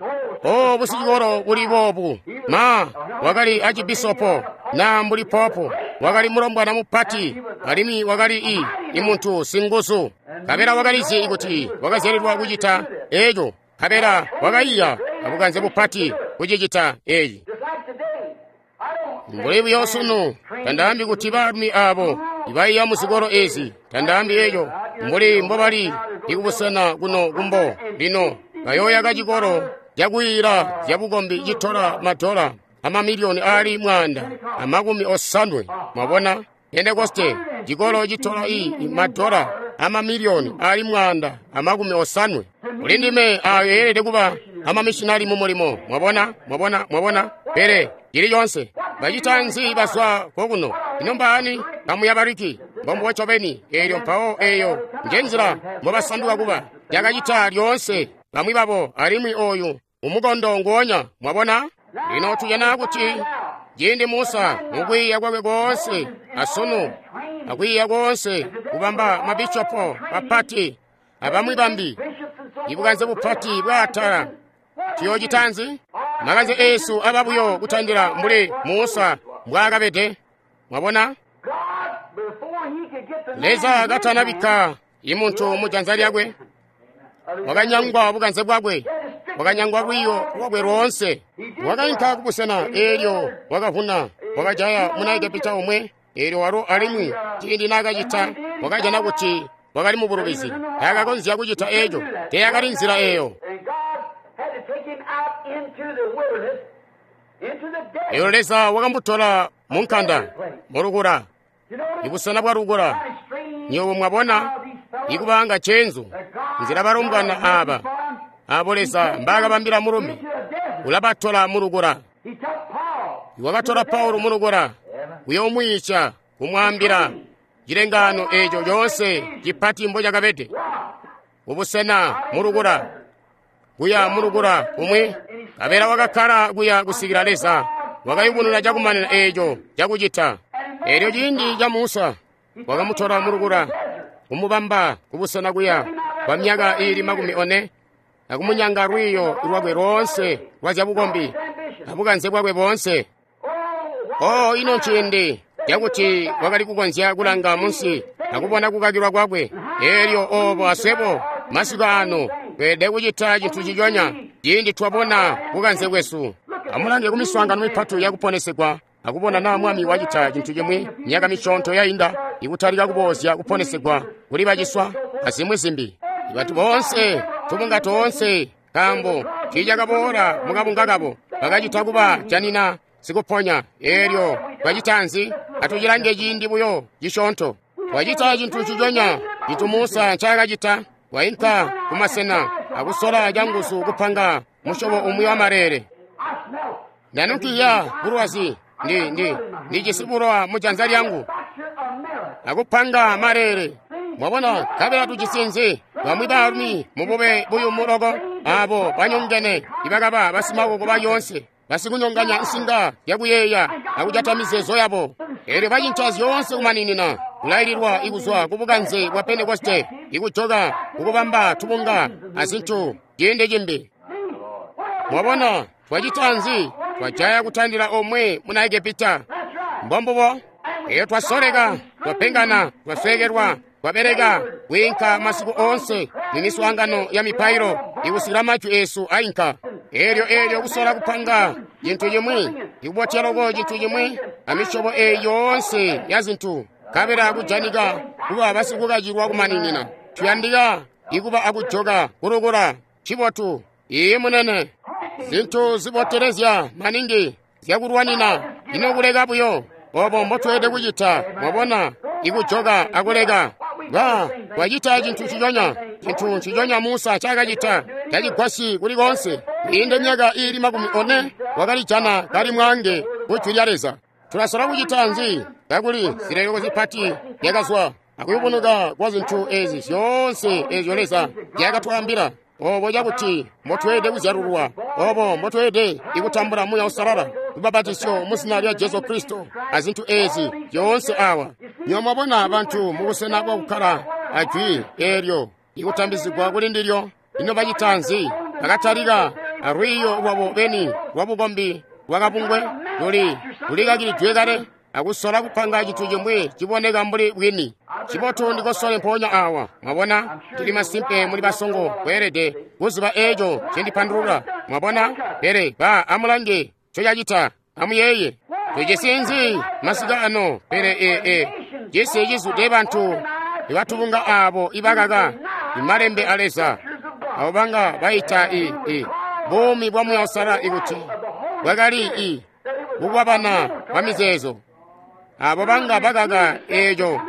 Speaker 1: O busicikolo buli boobu, ma wakali acibisopo na mbuli popo, wakali mulombwana mupati, alimwi wakali i imuntu singuzu. Nkabela wakalizi kuti wakazyalilwa kucita eeco, nkabela wakaiya abukanze bupati kucicita eeci. Mbuli buyo sunu, tandaambi kuti baalumi aabo ibaiya muzikolo eezi, tandaambi eeco mbuli mbobali ikubusena kuno kumbo. Lino bayooyaka cikolo cakuyiila zyabukombi citola madola amamiliyoni aali mwaanda amakumi osanwe. Mwabona, Pentekoste cikolo citola i madola amamiliyoni aali mwaanda amakumi osanwe. Kuli ndime ayo eelede kuba amamishinali mu mulimo. Mwabona, mwabona, mwabona. Pele cili conse bacita nzi bazwa kokuno? Ino mbaani kamuya bariki mbombubo ncobeni. Eelyo mpawo eeyo njenzila mbobasanduka kuba yakacita lyoonse bamwi babo, alimwi oyu umukondo nguonya. Mwabona? Lino tujana kuti ciindi Musa mukwiiya kwakwe koonse asunu akwiiya koonse kubamba mabishopo bapati abamwi bambi ibukanze bupati bwaatala, tuyoocita nzi? Makanze eesu aba buyo kutandila mbuli Musa mbwaakabede. Mwabona? Leza katanabikka imuntu mu janza lyakwe, wakanyangwa bukanze bwakwe, wakanyangwa lwiiyo lwakwe loonse. Wakainka kubusena eelyo wakavuna, wakajaya muna Egepita omwe. Eelyo walo alimwi ciindi naakacita, wakajana kuti wakali mu bulubizi. Taakakonzya kucita eeco, teyakali nzila eeyo. Eelyo Leza wakamutola mu nkanda, mu lukula, ibusena bwa lukula. Nywebo mwabona, ikubanga cenzu, nzila balombwana aaba, abo Leza mbaakabambila mulumi, ulabatola mu lukula. Wakatola Paulo mu lukula, kuyoomwiica, kumwaambila cilengaano eeco coonse cipati mbo cakabede. Kubusena mu lukula, kuya mu lukula kumwi, kabela wakakkala kuya kusikila Leza wakayubununa cakumanina eeco cakucita. Eelyo ciindi ca Musa wakamutola mu lukula, kumubamba kubusena kuya kwa myaka iili makumi one, akumunyanga lwiiyo lwakwe loonse lwa zyabukombi abukanze bwakwe boonse. Oh, ino nciindi cakuti wakali kukonzya kulanga munsi akubona kukakilwa kwakwe. Eelyo obo aswebo masiku ano tweelede kucita cintu ciconya ciindi twabona bukanze bwesu. Amulange ku miswaangano mipati yakuponesegwa akubona naa Mwami wacita cintu cimwi myaka misyoonto yainda ikutalika kuboozya kuponesegwa kuli baciswa azimwi zimbi. Bantu boonse, tubunga toonse, nkaambo tiicakaboola mukabunga kabo, bakacita kuba janina sikuponya. Eelyo twacita nzi? Atucilange ciindi buyo cisyoonto. Twacita cintu ciconya cintu Musa ncaakacita. Wainka kumasena akusola canguzu kupanga musyobo umwi wa maleele. Ndanukiya bulwazi, ndi ndi ndijisi bulowa mu janza lyangu, akupanga maleele. Mwabona, kabela tujisi nzi? Bamwi baalumi mubube buyumu loko, abo banyongene ibakaba basimakoko bayoonse, basikunyonganya nsinga yakuyeeya akujata mizeezo yabo. Eelyo bacinca zyoonse kumaninina, kulaililwa ikuzwa ku bukanze bwa Pentekoste, ikujoka kukubamba tubunga azintu ciindi cimbi. Mwabona, twacita nzi? Twajaya kutandila omwe muna Egepita. Mbombubo. Eyo twasoleka, twapengana, twaswekelwa, twabeleka kwiinka masiku oonse mu miswaangano ya mipailo ikusikila majwi esu ainka. Eelyo eelyo kusola kupanga cintu cimwi, ikubotya loko cintu cimwi, amisyobo eyi yoonse ya zintu, kabela kujanika kuba basikukacilwa kumaninina. Tuyandika ikuba akujoka kulukula cibotu. Iye munene, zintu zibotelezya maningi zyakulwanina, ino kuleka buyo. Obo mbotweelede kucita, mwabona, ikujoka akuleka. Ba, twacita cintu ciconya, cintu ciconya Musa cakacita, tacigwasyi kuli koonse. Kwiinde myaka iili makumi one, wakalijana kali mwaange ku jwi lya Leza. Tulasola kucita nzi? Kakuli zileleko zipati zyakazwa akuyubunuka kwa zintu ezi zyoonse ezyo Leza zyakatwaambila. Obo cakuti mbotweelede kuzyalulwa, obo mbotweelede ikutambula Muuya Uusalala, lubbapatizyo mu zina lya Jesu Kristo, azintu ezi zyoonse awa. Nywebo mwabona bantu mubusena bwakukkala ajwi eelyo ikutambizigwa kuli ndilyo. Ino bacita nzi? Bakatalika alwiiyo lwabo beni lwabukombi lwakabungwe luli lulikakilidwe kale, akusola kupanga cintu cimwi ciboneka mbuli bwini. Cibotu ndikosole mpoonya awa. Mwabona, ndili masimpe muli basongo kweelede kuziba eeco cindipandulula. Mwabona, pele ba amulange ncocacita. Amuyeeye, tujisi nzi masiku ano? Pele ee e cisi cizwide bantu ibatubunga aabo ibakaka imalembe a Leza, abo banga baita i i buumi bwa Muuya Uusalala ikuti bwakali i kukwabana kwa mizeezo, abo banga bakaka eeco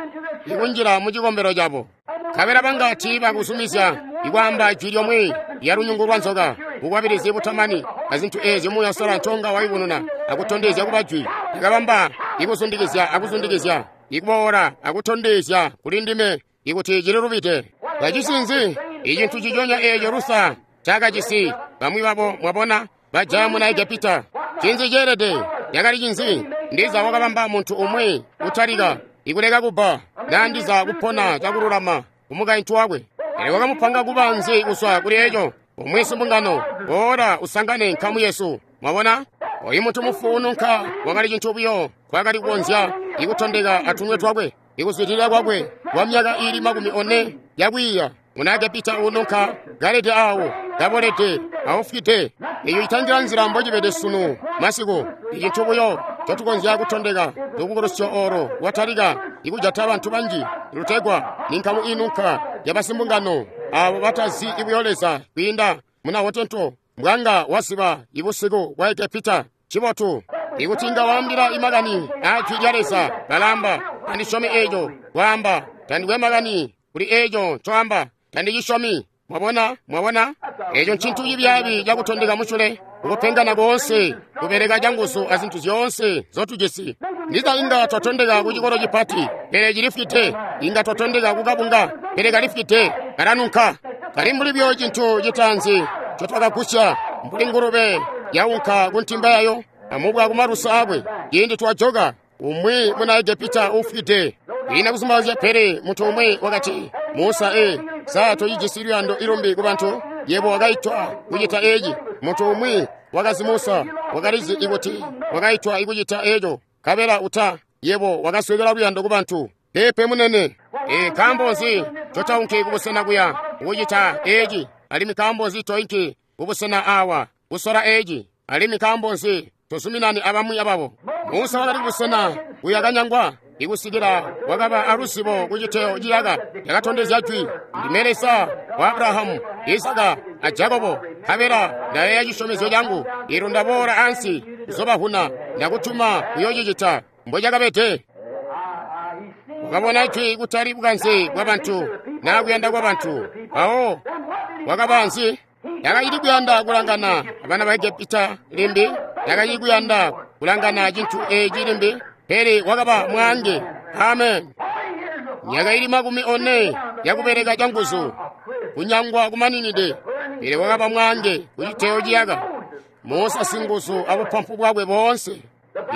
Speaker 1: ikunjila mu cikombelo cabo. Kabela banga tiibakuzumizya ikwaamba jwi lyomwe lya lunyungu lwa nzoka, bukwabilizi butamani, azintu eezyo Muuya Uusalala nconga wayubununa akutondezya kuba jwi. Akabamba ikuzundikizya akuzundikizya, ikuboola akutondezya kuli ndime ikuti cililubide. Bajisi nzi? Icintu ciconya eeco Lusa cakajisi. Bamwi babo mwabona bajaya muna Egepita. Cinzi ceelede? Yakali cinzi? Ndiza wakabamba muntu umwi kutalika ikuleka kubba, naa ndiza kupona cakululama kumukaintu wakwe. Pele wakamupanga kuba nzi kuzwa kuli eco? Umwi simbungano, boola usangane nkamu yesu. Mwabona? Oyu muntu mufu ununka wakali cintu buyo kwakali kukonzya ikutondeka atunwe twakwe, ikuzwidilila kwakwe kwa myaka iili makumi one yakwiiya. Muna Egepita ununka kalede awo, kabolede, aufwide. Eyo itandila nzila mbocibede sunu masiku. Icintu buyo ncotukonzya kutondeka lubukulusyo olo lwatalika ikujata bantu banji lutegwa ninkamu inunka yabasimbungano abo batazi ibuyo Leza kwiinda muna wotento mbwanga waziba ibusiku bwa Egepita. Cibotu ikuti inga waambila imakani aa jwi lya Leza, balamba tandisyomi eeco. Kwaamba tandikwe makani kuli eeco ncoamba, tandicisyomi. Mwabona, mwabona, eeco ncintu cibyaabi cakutondeka musyule, kukupengana koonse, kubeleka canguzu azintu zyoonse nzotujisi. Ndiza inga twatondeka ku cikolo cipati, pele cilifwide. Inga twatondeka ku kabunga, pele kalifwide, kalanunka. Kali mbuli buyo cintu citaanzi ncotwakagusya, mbuli ngulube yaunka ku ntimba yayo amubwa kumalusa aakwe. Ciindi twajoka, umwi muna Egepita ufwide. Ina kuzumbazya, pele muntu umwi wakati, Musa, e sa tocijisi luyando ilumbi ku bantu? Yebo wakaitwa kucita eci. Muntu umwi wakazi Musa wakalizi ikuti wakaitwa ikucita eco, kabela uta yebo wakaswekela luyando ku bantu. Pepe munene, e nkaambo nzi totaunki kubusena kuya kucita eci? Alimwi nkaambo nzi toinki kubusena awa kusola eci? Alimwi nkaambo nzi tozuminani abamwi ababo? Musa wakali kubusena kuya kanyangwa ikusikila wakaba aluzibo kuciteyo ciyaka yakatondezya jwi, ndime Leza wa Abrahamu, Isaka a Jakobo, nkabela ndayeeya cisyomezyo cangu, ilo ndaboola ansi kuzobavuna, ndakutuma kuyoocicita. Mbocakabede wakabona jwi kutali bukanze bwa bantu naa kuyanda kwa bantu. Mpawo wakaba nzi? Yakacili kuyanda kulangana abana ba Egepita limbi, yakacili kuyanda kulangana cintu eeci limbi, pele wakaba mwaange. Amen. Myaka ili makumi one yakubeleka canguzu, kunyangwa kumaninide, pele wakaba mwaange kuciteyo ciyaka. Musa singuzu abupampu bwakwe boonse.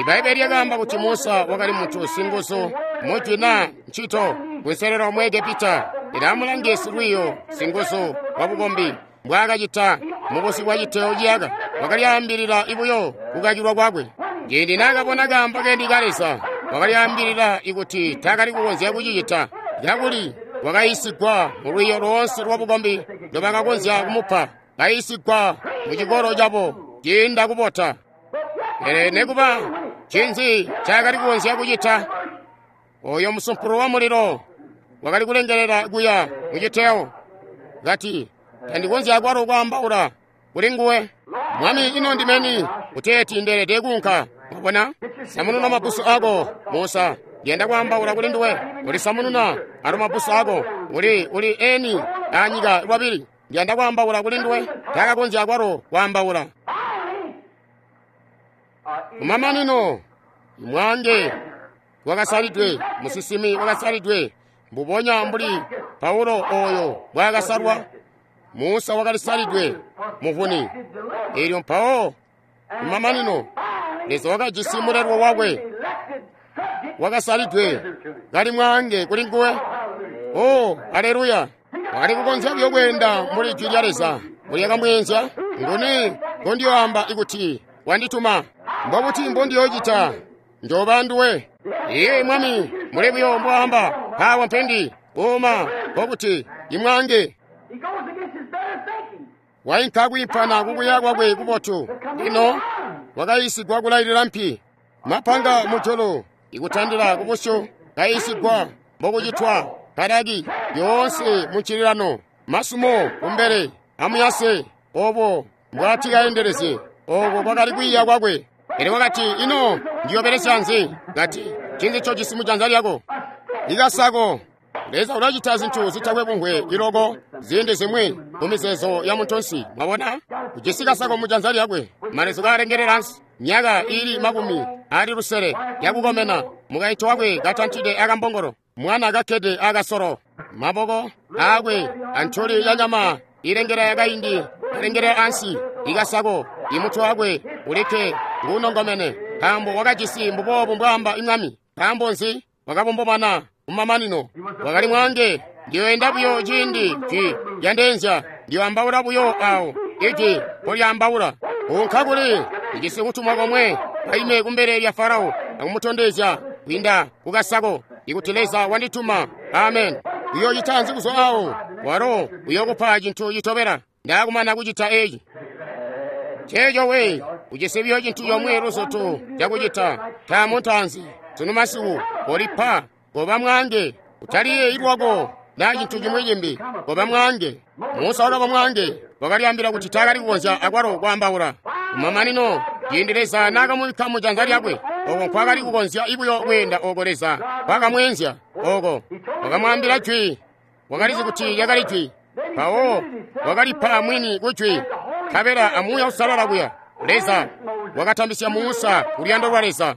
Speaker 1: Ibaibbele lyakaamba kuti Musa wakali muntu singuzu mujwi naa ncito kunselelo mu Egepita. Ila amulange silwiiyo singuzu wabukombi mbwaakacita mubusi bwa citeyo ciyaka. Wakalyaambilila ibuyo kukakilwa kwakwe. Ciindi naakabona kaambo kendi ka Leza, wakalyaambilila ikuti taakali kukonzya kucicita, kakuli wakayiisigwa mulwiiyo loonse lwabukombi ndobakakonzya kumupa, kayiisigwa mu cikolo cabo ciinda kubota. Pele nekuba ncinzi ncaakali kukonzya kucita? Oyo musumpulu wa mulilo wakali kulengelela kuya muciteyo, kati, tandikonzya akwalo kwaambaula kuli nguwe. Mwami, ino ndimeni kuteeti ndeelede kuunka? Mwabona, samununa mabbusu ako, Musa. Ndiyanda kwaambaula kuli nduwe. Uli samununa alo mabbusu ako, uli uli eni anyika lwabili. Ndiyanda kwaambaula kuli nduwe. Taakakonzya akwalo kwaambaula. Kumamanino, mwaange wakasalidwe, musinsimi wakasalidwe, mbubonya mbuli Paulo oyo mbwaakasalwa. Musa wakalisalidwe muvuni. Elyo mpawo kumamanino, Leza wakajisi mulelwa wakwe wakasalidwe kali mwaange kuli nguwe. Oh, aleluya! Wakali kukonzya buyo kweenda mbuli jwi lya Leza mbulyakamweenzya. Nguni ngondiyoamba ikuti wandituma? Mbobuti mbondiyoocita? Njooba nduwe. Iye Mwami, muli buyo mbwaamba, mpaawa mpendi uma nkokuti imwange.
Speaker 2: He goes against his better thinking.
Speaker 1: Wainka kwiimpana kukuya kwakwe kubotu. Lino wakayiisigwa kulailila mpi, mapanga mujulu ikutandila kubusyu, kayiisigwa mbokucitwa kalaki yoonse muncililano, masumo kumbele amuyase, obo mbwati kaendelezye. Oko kwakali kwiiya kwakwe. Pele wakati, ino ndiyobelesya nzi? Kati, ncinzi ncojisi mujanza lyako? Ikasako. Leza ulacita zintu zitakwe bungwe iloko ziindi zimwi mumizeezo ya muntunsi. Mwabona, ujisi kasako mujanza lyakwe, malezu kaalengelela ansi, myaka ili makumi ali lusele yakukomena, mukaintu wakwe katantide akambongolo, mwana kakkede akasolo, maboko aakwe antuli ya nyama ilengela yakaindi alengela ansi, ikasako imutwe wakwe ulikke nguunongomene, nkaambo wakajisi mbuboobu mbwaamba imwami. Nkaambo nzi? Wakabombomana kumamanino. Wakali mwaange. Ndiyoenda buyo ciindi jwi lyandeenzya, ndiyoambaula buyo awo ijwi mpolyaambaula. Unka kuli ijisi kutumwa komwe, kaime kumbele lya Farao akumutondezya kwiinda kukasako ikuti Leza wandituma. Amen. Uyoocita nzi kuzwa awo? Walo uyokupa cintu citobela ndakumana kucita eci. Ceeco we, ujisi biyo cintu comwe luzutu cakucita. Taamu ntaanzi, sunu masiku, kolipa, koba mwange, utaliyeeyi lwako na cintu cimwi cimbi, koba mwange. Musa wakaba mwange, wakalyambila kuti taakali kukonzya akwalo kwaambaula. Kumamanino, ciindi Leza naakamubikka mu janza lyakwe, oko nkwakali kukonzya ibuyo kweenda oko Leza kwakamweenzya oko. Wakamwaambila jwi, wakalizi kuti lyakali jwi. Mpawo wakalipa mwini ku jwi, nkabela amuuya usalala kuya. Leza wakatambisya Musa kuluyando lwa Leza.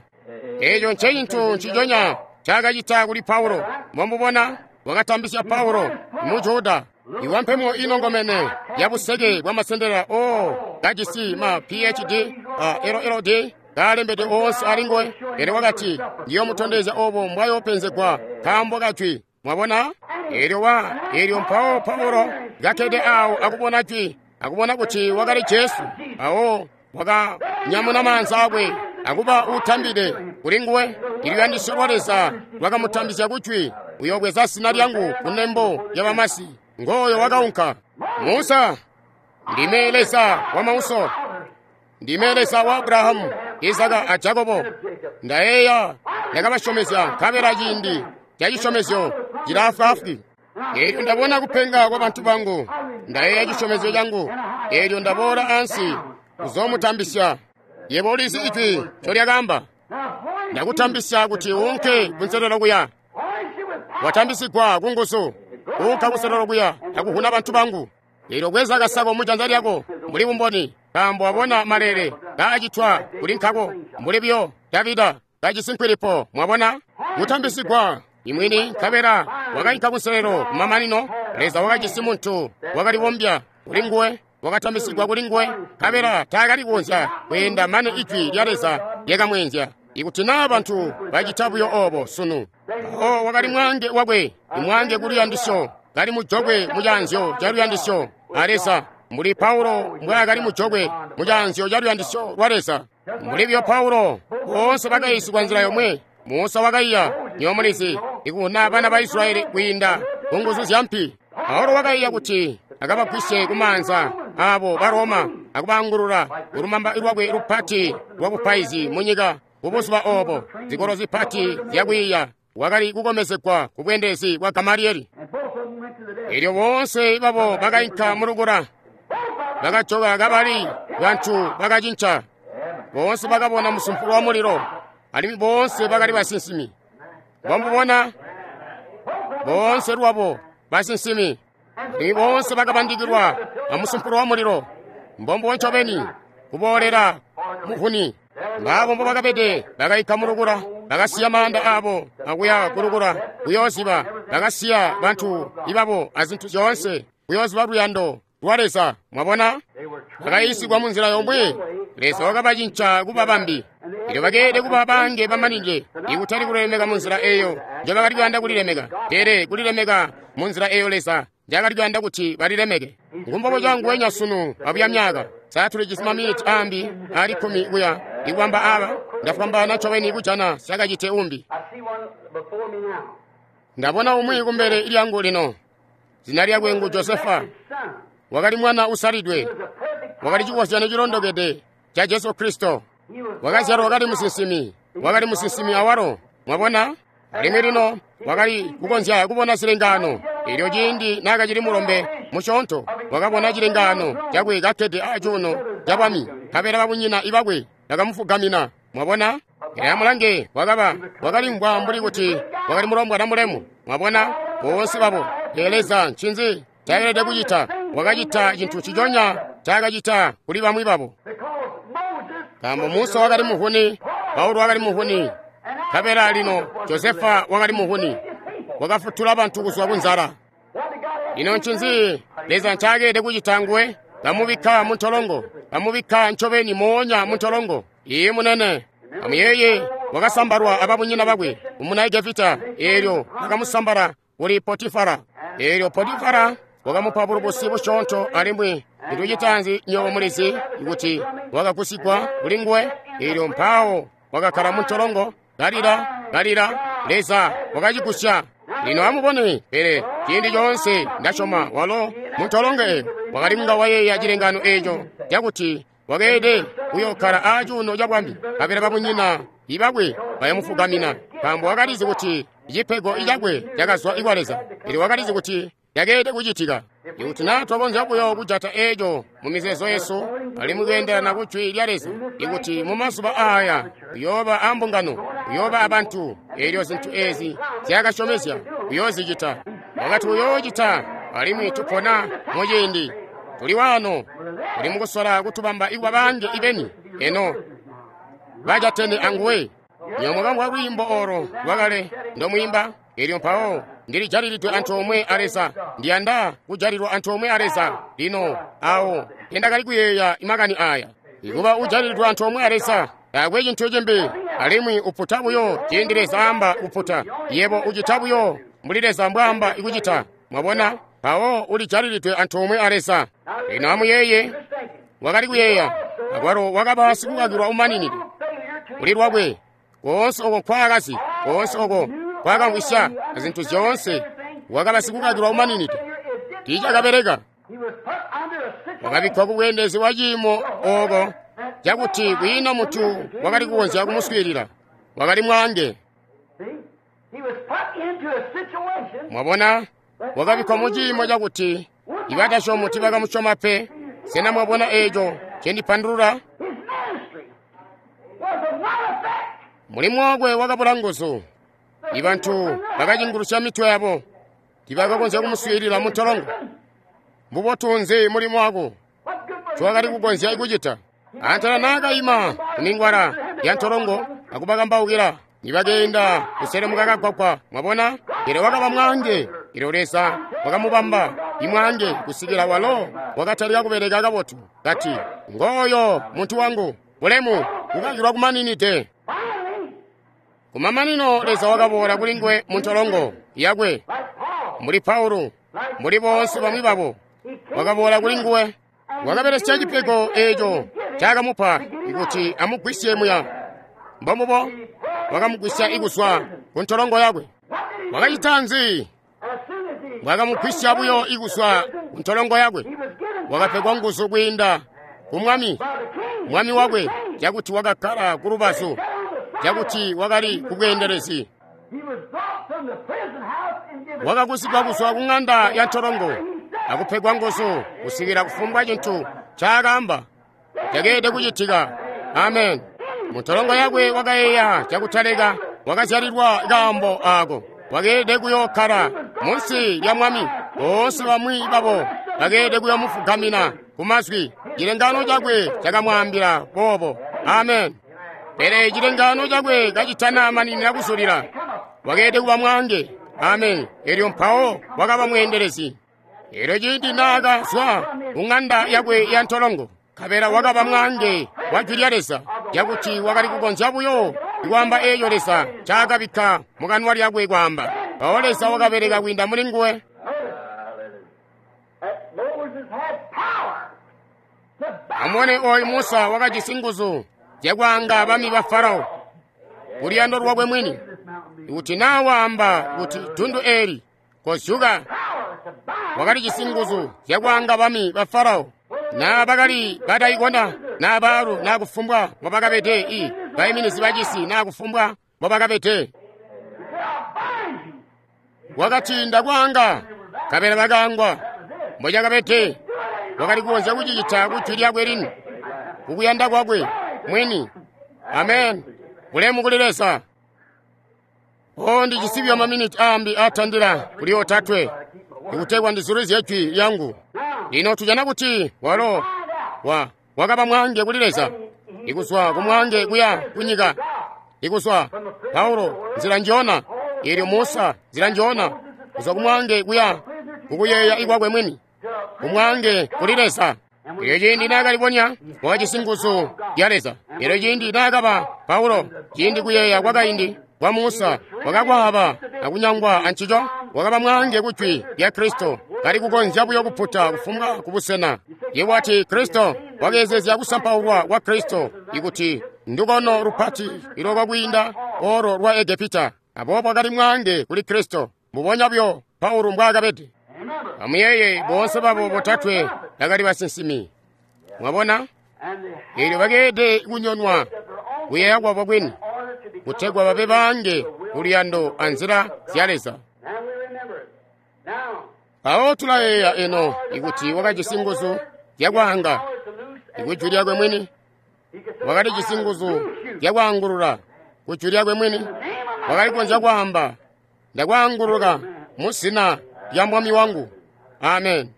Speaker 1: Eeco nce cintu nciconya ncaakacita kuli Paulo. Mwamubona, wakatambisya Paulo mu Juda. Iwampemo inongomene ya buseke bwa masendela o kajisi ma P H D a L L D kaalembedwe oonse alinguwe. Pele wakati, ndiyomutondezya obo mbwayopenzegwa nkaambo kajwi. Mwabona? Eelyo wa eelyo mpawo Paulo kakkede awo akubona jwi, akubona kuti wakali Jesu. Awo wakanyamuna maanza akwe akuba utambide kuli nguwe. Iluyandisyo lwa Leza lwakamutambisya kujwi, uyobweza zina lyangu kunembo lya bamasi. Ngoyo wakaunka. Musa, ndime Leza wa mauso, ndime Leza wa Abrahamu, Isaka a Jakobo. Ndayeeya ndakabasyomezya nkabela ciindi ca cisyomezyo cilaafwaafwi. Eelyo ndabona kupenga kwa bantu bangu, ndayeeya cisyomezyo cangu. Eelyo ndaboola ansi kuzoomutambisya. Yebo ulizi ijwi ncolyakaamba. Ndakutambisya kuti uunke kunselelo kuya. Watambisigwa kunguzu, kuunka kunselelo kuya akuhuna bantu bangu. Eelyo bweza kasako mujanza lyako mbuli bumboni, nkaambo wabona malele kaacitwa kuli nkako, mbuli buyo Davida kajisi nkwilipo. Mwabona? Kutambisigwa imwini, nkabela wakainka kunselelo kumamanino. Leza wakajisi muntu wakalibombya kuli nguwe, wakatambisigwa kuli nguwe, nkabela taakali kukonzya kweenda mane ijwi lya Leza lyakamweenzya. Ikuti naa bantu bacita buyo obo sunu. Mpawo wakali mwange wakwe, imwange ku luyandisyo, kali mujokwe mucaanzyo ca luyandisyo a Leza, mbuli Paulo mbwaakali mujokwe mucaanzyo ca luyandisyo lwa Leza. Mbuli buyo Paulo, boonse bakayiisigwa nzila yomwe. Musa wakaiya, nywebo mulizi, ikuhuna bana ba Israyeli kwiinda ku nguzu zya mpi. Paulo wakaiya kuti akabagwisye kumaanza abo ba Roma akubaangulula kulumamba lwakwe lupati lwa bupaizi munyika. Kubuzuba obo, zikolo zipati zyakwiiya wakali kukomezegwa ku bweendelezi bwa Gamalieli. Eelyo boonse babo bakainka mulukula, bakajoka kabali bantu bakacinca. Boonse bakabona musumpulo wa mulilo, alimwi boonse bakali basinsimi. Mwamubona? Boonse lwabo basinsimi, alimwi boonse bakabandikilwa amusumpulo wa mulilo. Mbombo ncobeni kuboolera muhuni. Baabo mbobakabede bakaika mulukula, bakasiya maanda abo akuya kulukula kuyooziba, bakasiya bantu ibabo azintu zyoonse kuyooziba luyando lwa Leza. Mwabona? Bakayiisigwa munzila yomwe. Leza wakabacinca kuba bambi. Elyo bakeelede kuba bange bamanide, ikutali kulilemeka munzila eyo njobakali kuyanda kulilemeka, pele kulilemeka munzila eyo Leza njakali kuyanda kuti balilemeke. Ngumbobo canguwenya sunu abuya myaka. Sa tulijisi maminiti ambi ali kkumi kuya ikubamba aba. Ndafwambaana ncobeni kujana syakacite umbi. Ndabona umwi kumbele lyangu lino. Zina lyakwe ngu Josefa. Wakali mwana usalidwe, wakali cikozyanyo cilondokede ca Jesu Kristo. Wakazyalwa kali musinsimi, wakali musinsimi awalo. Mwabona? Alimwi lino wakali kukonzya kubona zilengaano. Eelyo ciindi naakacili mulombe musyoonto, wakabona cilengaano cakwe kakkede acuuno ca bwami, nkabela babunyina ibakwe bakamufugamina. Mwabona? Pele amulange, wakaba wakalimvwa mbuli kuti wakali mulombwana mulemu. Mwabona? Boonse babo. Pele Leza ncinzi ncaelede kucita? Wakacita cintu nciconya ncaakacita kuli bamwi babo. Nkaambo Musa wakali muhuni, Paulo wakali muhuni, nkabela lino Josefa wakali muhuni. Wakafutula bantu kuzwa kunzala. Ino ncinzi Leza ncaakelede kucita nguwe? Bamubikka muntolongo, bamubikka ncobeni moonya muntolongo. Iye munene. Amuyeeye, wakasambalwa ababunyina bakwe umuna Egepita. Eelyo bakamusambala kuli Potifara. Eelyo Potifara wakamupa bulubusi busyoonto, alimwi nitucitanzi nywebo mulizi kuti wakagusigwa kuli nguwe. Eelyo mpawo wakakkala muntolongo, kalila kalila. Leza wakacigusya. Lino amubone, pele ciindi coonse ndasyoma walo muntolongo eyo wakali kunga wayeeya cilengano eco cakuti wakeelede kuyokkala aacuuno ca bwami, nkabela babunyina ibakwe bayamufugamina, nkaambo wakalizi kuti cipego cakwe cakazwa kwa Leza. Pele wakalizi kuti cakeelede kucitika. Ikuti naa twakonzya buyo kujata eco mu mizeezo yesu alimwi kweendelana ku Jwi lya Leza, ikuti mu mazuba aaya kuyooba ambungano, kuyooba abantu, eelyo zintu ezi zyakasyomezya kuyoozicita. Wakati uyoocita, alimwi tupona muciindi. Tuli waano, tuli mukusola kutubamba ikuba bange ibeni, eno bajatene anguwe. Nywebo mwakamvwa lwiimbo olo lwakale ndomwiimba, elyo mpawo ndilijalilidwe antoomwe a Leza. Ndiyanda kujalilwa antoomwe a Leza. Lino awo tendakali kuyeeya makani aya. Ikuba ujalilidwe antoomwe a Leza taakwe cintu cimbi, alimwi uputa buyo ciindi Leza aamba kuputa. Yebo ucita buyo mbuli Leza mbwaamba kucita. Mwabona? Mpawo ulijalilidwe antoomwe a Leza. Lino amuyeeye, wakali kuyeeya, akwalo wakaba sikukakilwa umaninide kuli lwakwe. Koonse oko nkwaakazi, koonse oko nkwakamvwisya, azintu zyoonse, wakaba sikukakilwa umaninide. Tiicakabeleka. Wakabikkwa ku bweendelezi bwa ciimo oko cakuti kwiina muntu wakali kukonzya kumuswiilila. Wakali mwaange. Mwabona, wakabikkwa mu ciimo cakuti ibatasyomi tiibakamusyoma pe. Sena mwabona eeco ncendipandulula? Mulimu wakwe wakabula nguzu. Ibantu bakacingulusya mitwe yabo, tiibakakonzya kumuswiilila muntolongo. Mbubotu nzi mulimu wako ncowakali kukonzya kucita? Antela naakaima kumingwala ya ntolongo akubakambaukila, nibakeenda kuselemuka kagwagwa. Mwabona, pele wakaba mwaange. Elyo Leza wakamubamba imwaange kusikila walo wakatalika kubeleka kabotu. Kati, ngooyo muntu wangu, bulemu kukakilwa kumaninide. Kumamanino Leza wakaboola kuli nguwe muntolongo yakwe, mbuli Paulo, mbuli boonse bamwi babo. Wakaboola kuli nguwe, wakabelesya cipego eco ncaakamupa kuti amugwisye muya. Mbombubo, wakamugwisya ikuzwa ku ntolongo yakwe. Wakacita nzi? Wakamugwisya buyo ikuzwa ku ntolongo yakwe. Wakapegwa nguzu kwiinda ku mwami, mwami wakwe, cakuti wakakkala ku lubazu, cakuti wakali kubweendelezi. Wakagusigwa kuzwa ku ng'anda ya ntolongo akupegwa nguzu kusikila kufumbwa cintu ncaakaamba cakeelede kucitika. Amen. Muntolongo yakwe wakayeeya cakutaleka, wakazyalilwa kaambo aako. Wakeelede kuyookkala munsi lya mwami. Boonse bamwi babo bakeelede kuyomufugamina ku mazwi. Cilengano cakwe cakamwaambila boobo. Amen. Pele cilengano cakwe kacitana maninina kuzulila, wakeelede kuba mwaange. Amen. Elyo mpawo wakaba mweendelezi. Elyo ciindi naakazwa ku ng'anda yakwe ya ntolongo, nkabela wakaba mwaange wa Jwi lya Leza, cakuti wakali kukonzya buyo kwaamba eeco Leza ncaakabikka mukanwa lyakwe kwaamba. Mpawo Leza wakabeleka kwiinda muli nguwe. Amubone oyu Musa wakajisi nguzu zyakwaanga bami ba Farao kuluyando lwakwe mwini. Ikuti naa waamba kuti dundu eeli kozyuka, wakalijisi nguzu zyakwaanga bami ba Farao. Naa bakali bataikona, naa baalu, naa kufumbwa mbobakabede, i baiminizi bacisi, naa kufumbwa mbobakabede. Wakati ndakwaanga, nkabela bakaangwa. Mbocakabede, wakali kukonzya kucicita ku jwi lyakwe lini, kukuyanda kwakwe mwini. Amen. Bulemu kuli Leza. O, ndijisi buyo maminiti aambi aatandila kuli otatwe ikutegwa ndizulizye jwi lyangu. Lino tujana kuti walo wa wakaba mwaange kuli Leza, ikuzwa ku mwaange kuya kunyika, ikuzwa Paulo nzila njona, elyo Musa nzila njona, kuzwa ku mwaange kuya kukuyeeya ikwakwe mwini, ku mwaange kuli Leza. Elyo ciindi naakalibonya wakajisi nguzu ya Leza. Elyo ciindi naakaba Paulo, ciindi kuyeeya kwakaindi kwa Musa wakakwaaba akunyangwa ancico, wakaba mwaange ku jwi lya Kristo, kali kukonzya buyo kuputa kufumbwa kubusena. Yebo ati Kristo wakeezezya kusampaulwa kwa Kristo ikuti ndukono lupati ilokwa kwiinda olo lwa Egepita. Aboobo akali mwaange kuli Kristo. Mbubonya buyo Paulo mbwaakabede. Amuyeeye, boonse babo botatwe bakali basinsimi. Mwabona? Eelyo bakeelede kunyonwa kuyeeya kwabo kwini, kutegwa babe baange kuluyando anzila zya Leza. Mpawo tulayeeya eno ikuti wakajisi nguzu zyakwaanga ikujwi lyakwe mwini, wakalijisi nguzu zyakwaangulula kujwi lyakwe mwini, wakali kukonzya kwaamba, ndakwaanguluka mu zina lya Mwami wangu. Amen.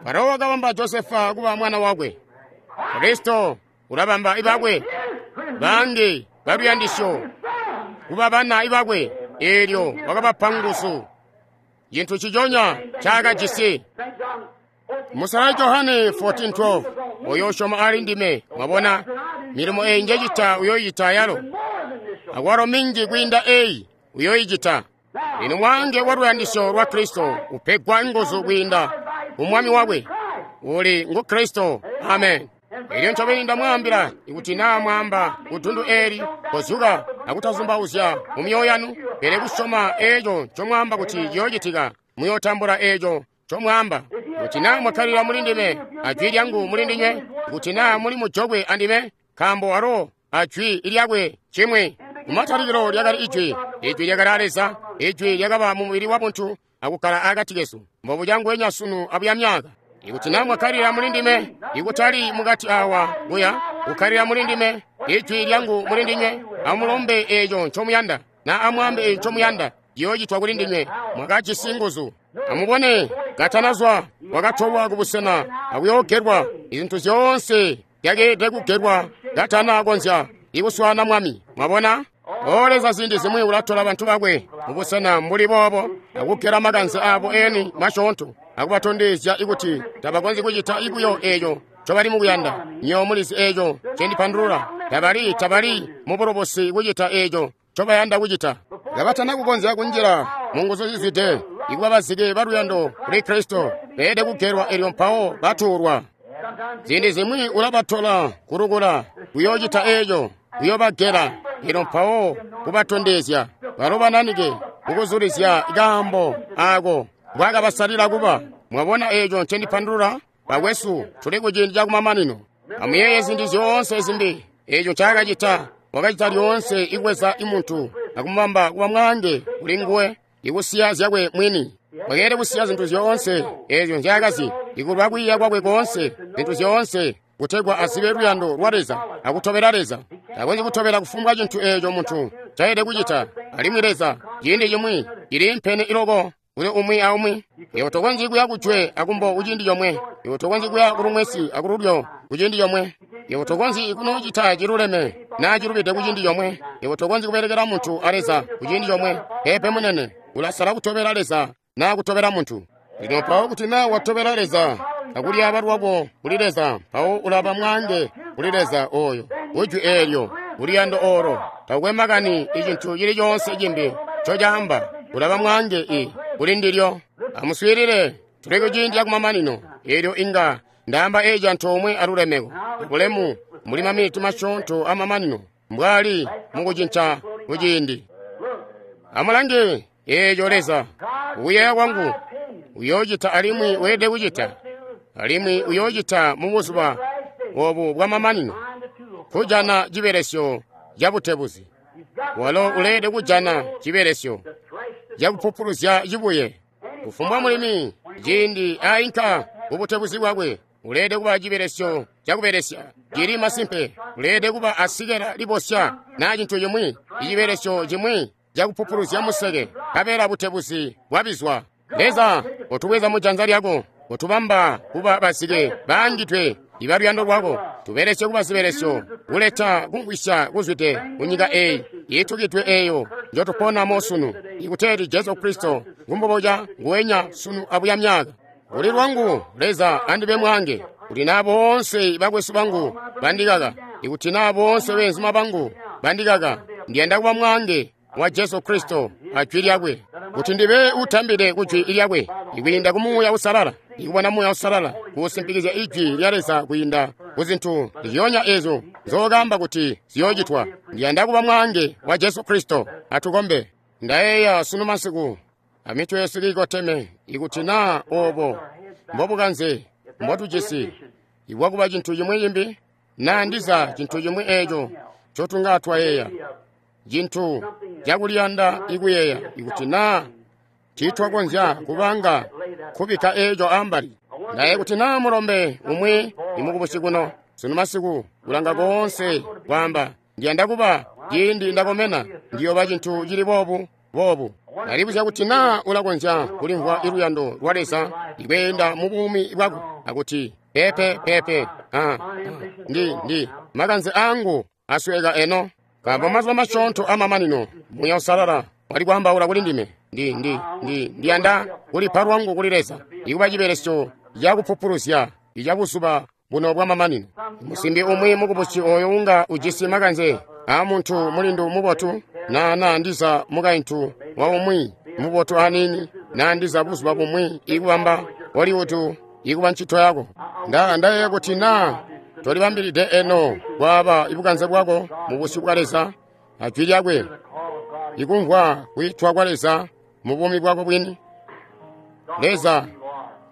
Speaker 1: Farao wakabamba Josefa kuba mwana wakwe. Kristo ulabamba ibakwe bangi baluyandisyo kuba bana ibakwe. Eelyo wakabapa nguzu, cintu ciconya ncaakajisi. Musala Johane fourteen twelve, oyo usyoma ali ndime, mwabona, milimo eyi njecita uyoyicita yalo, akwalo minji kwiinda eyi uyoyicita. Lino mwaange wa luyandisyo lwa Kristo upegwa nguzu kwiinda umwami wakwe uli ngu Kristo. Amen. Elyo ncobeni ndamwaambila, ikuti naa mwaamba kudundu eeli, kozuka akutazumbauzya mu myoyo yanu, pele kusyoma eeco ncomwaamba kuti ciyoocitika, muyootambula eeco ncomwaamba. Kuti naa mwakkalila muli ndime, ajwi lyangu muli ndinywe, kuti naa muli mujokwe andime, nkaambo walo ajwi lyakwe cimwi. Kumatalikilo lyakali Ijwi, Ijwi lyakali a Leza, Ijwi lyakaba mu mubili wa buntu akukkala akati kesu. Mbobuca nguwenya sunu abuya myaka. Ikuti naa mwakkalila muli ndime, ikutali mukati awa kuya, kukkalila muli ndime, Ijwi lyangu muli ndinywe, amulombe eeco ncomuyanda, na amwaambe eeco ncomuyanda, ciyoocitwa kuli ndinywe. Mwakajisi nguzu. Amubone, katanazwa wakatolwa kubusena akuyoogelwa. Izintu zyoonse zyakeelede kugelwa katanakonzya ikuswaana Mwami. Mwabona? O Leza ziindi zimwi ulatola bantu bakwe mubusena mbuli boobo akugela makanze abo eni masyoonto akubatondezya ikuti tabakonzyi kucita buyo eeco ncobali mukuyanda. Nywebo mulizi eeco ncendipandulula. Tabali tabali mubulobosi kucita eeco ncobayanda kucita. Kabatana kukonzya kunjila mu nguzu zizwide, ikuba bazike baluyando kuli Kristo, beelede kugelwa elyo mpawo batuulwa. Ziindi zimwi ulabatola kulukula kuyoocita eeco, kuyoobagela elyo mpawo kubatondezya balo bananike kukuzulizya kaambo aako mbwaakabasalila kuba. Mwabona eeco ncendipandulula? Bakwesu, tuli kuciindi cakumamanino. Amuyeeye zintu zyoonse zimbi eeco ncaakacita. Wakacita lyoonse ikuweza imuntu akumubamba kuba mwaange kuli nguwe, ikusiya zyakwe mwini. Wakeelede kusiya zintu zyoonse eezyo nzyaakazi, ikulwa kwiiya kwakwe koonse, zintu zyoonse, kutegwa azibe luyando lwa Leza akutobela Leza. Takonzyi kutobela kufumbwa cintu eeco muntu ncaelede kucita. Alimwi Leza ciindi cimwi ciliimpene iloko kuli umwi aumwi. Iwe tokonzyi kuya kujwe akumbo kuciindi comwe. Iwe tokonzyi kuya kulumwesi akululyo kuciindi comwe. Iwe tokonzyi kunoocita ciluleme naa cilubide kuciindi comwe. Iwe tokonzyi kubelekela muntu a Leza kuciindi comwe. Peepe munene, ulasala kutobela Leza naa kutobela muntu. Lino mpawo kuti naa watobela Leza akulyaaba lwako kuli Leza, mpawo ulaba mwaange kuli Leza oyo, kujwi eelyo, kuluyando oolo. Takukwe makani icintu cili coonse cimbi ncocaamba, ulaba mwaange i kuli ndilyo. Amuswiilile, tuli kuciindi cakumamanino. Eelyo inga ndaamba eeci antoomwe alulemeko, bulemu muli maminiti masyoonto amamanino, mbwali mukucinca kuciindi. Amulange eeco Leza, kuyeeya kwangu, uyoocita alimwi weelede kucita, alimwi uyoocita mubuzuba obu bwamamanino, kujana cibelesyo cabutebuzi. Walo uleelede kujana cibelesyo cakupupuluzya cibuye. Kufumbwa mulimi ciindi ainka kubutebuzi bwakwe, uleelede kuba cibelesyo cakubelesya cili masimpe. Uleelede kuba asikela libosya naa cintu cimwi, icibelesyo cimwi cakupupuluzya museke, nkabela butebuzi bwabizwa. Leza, utubweza mu janza lyako, utubamba kuba bazike baangidwe ibaluyando lwako. Tubelesye kuba zibelesyo kuleta kumvwisya kuzwide kunyika eyi iitukidwe eyo njotuponamo sunu, ikuteeti Jesu Kristo ngumboboca nguwenya sunu abuya myaka. Kuli lwangu, Leza andibe mwaange, kuti naa boonse bakwesu bangu bandikaka, ikuti naa boonse beenzuma bangu bandikaka, ndiyanda kuba mwaange wa Jesu Kristo ajwi lyakwe, kuti ndibe utambide kujwi lyakwe, ikwiinda ku Muuya Uusalala, ikubona Muuya Uusalala kuusimpikizya ijwi lya Leza kwiinda ku zintu zyonya ezyo nzookamba kuti ziyoocitwa. Ndiyanda kuba mwaange wa Jesu Kristo. Atukombe. Ndayeeya sunu masiku amitwe yesu kiikoteme, ikuti naa obo mbobukanze mbotujisi ibwakuba cintu cimwi cimbi, naa ndiza cintu cimwi eeco ncotunga twayeeya, cintu cakuliyanda ikuyeeya, ikuti naa tiitwakonzya kubanga kubikka eeco ambali. Ndaye kuti naa mulombe umwi imukubusi kuno sunu masiku kulanga koonse kwaamba, ndiyanda kuba ciindi ndakomena ndiyoba cintu cili boobu boobu. Ndalibuzya kuti naa ulakonzya kulimvwa iluyando lwa Leza ikweenda mu buumi bwako akuti pepe pepe ah, ah, ndi ndi makanze angu asweka eno, nkaambo mazuba masyoonto amamanino Muuya Uusalala wali kwaambaula kuli ndime. Ndi ndi ndi ndiyanda kulipa lwangu kuli Leza ikuba cibelesyo cakupupuluzya icabuzuba buno bwamamanino. Musimbi umwi mukubusi oyo unga ujisi makanze a muntu mulindu mubotu, na na ndiza mukaintu wa umwi mubotu anini, na ndiza buzuba bumwi ikubamba Hollywood ikuba ncito yako. Nda ndayeeya kuti naa tolibambilide eno kwaaba ibukanze bwako mu busyu bwa Leza a jwi lyakwe, ikumvwa kwiitwa kwa Leza mu buumi bwako bwini. Leza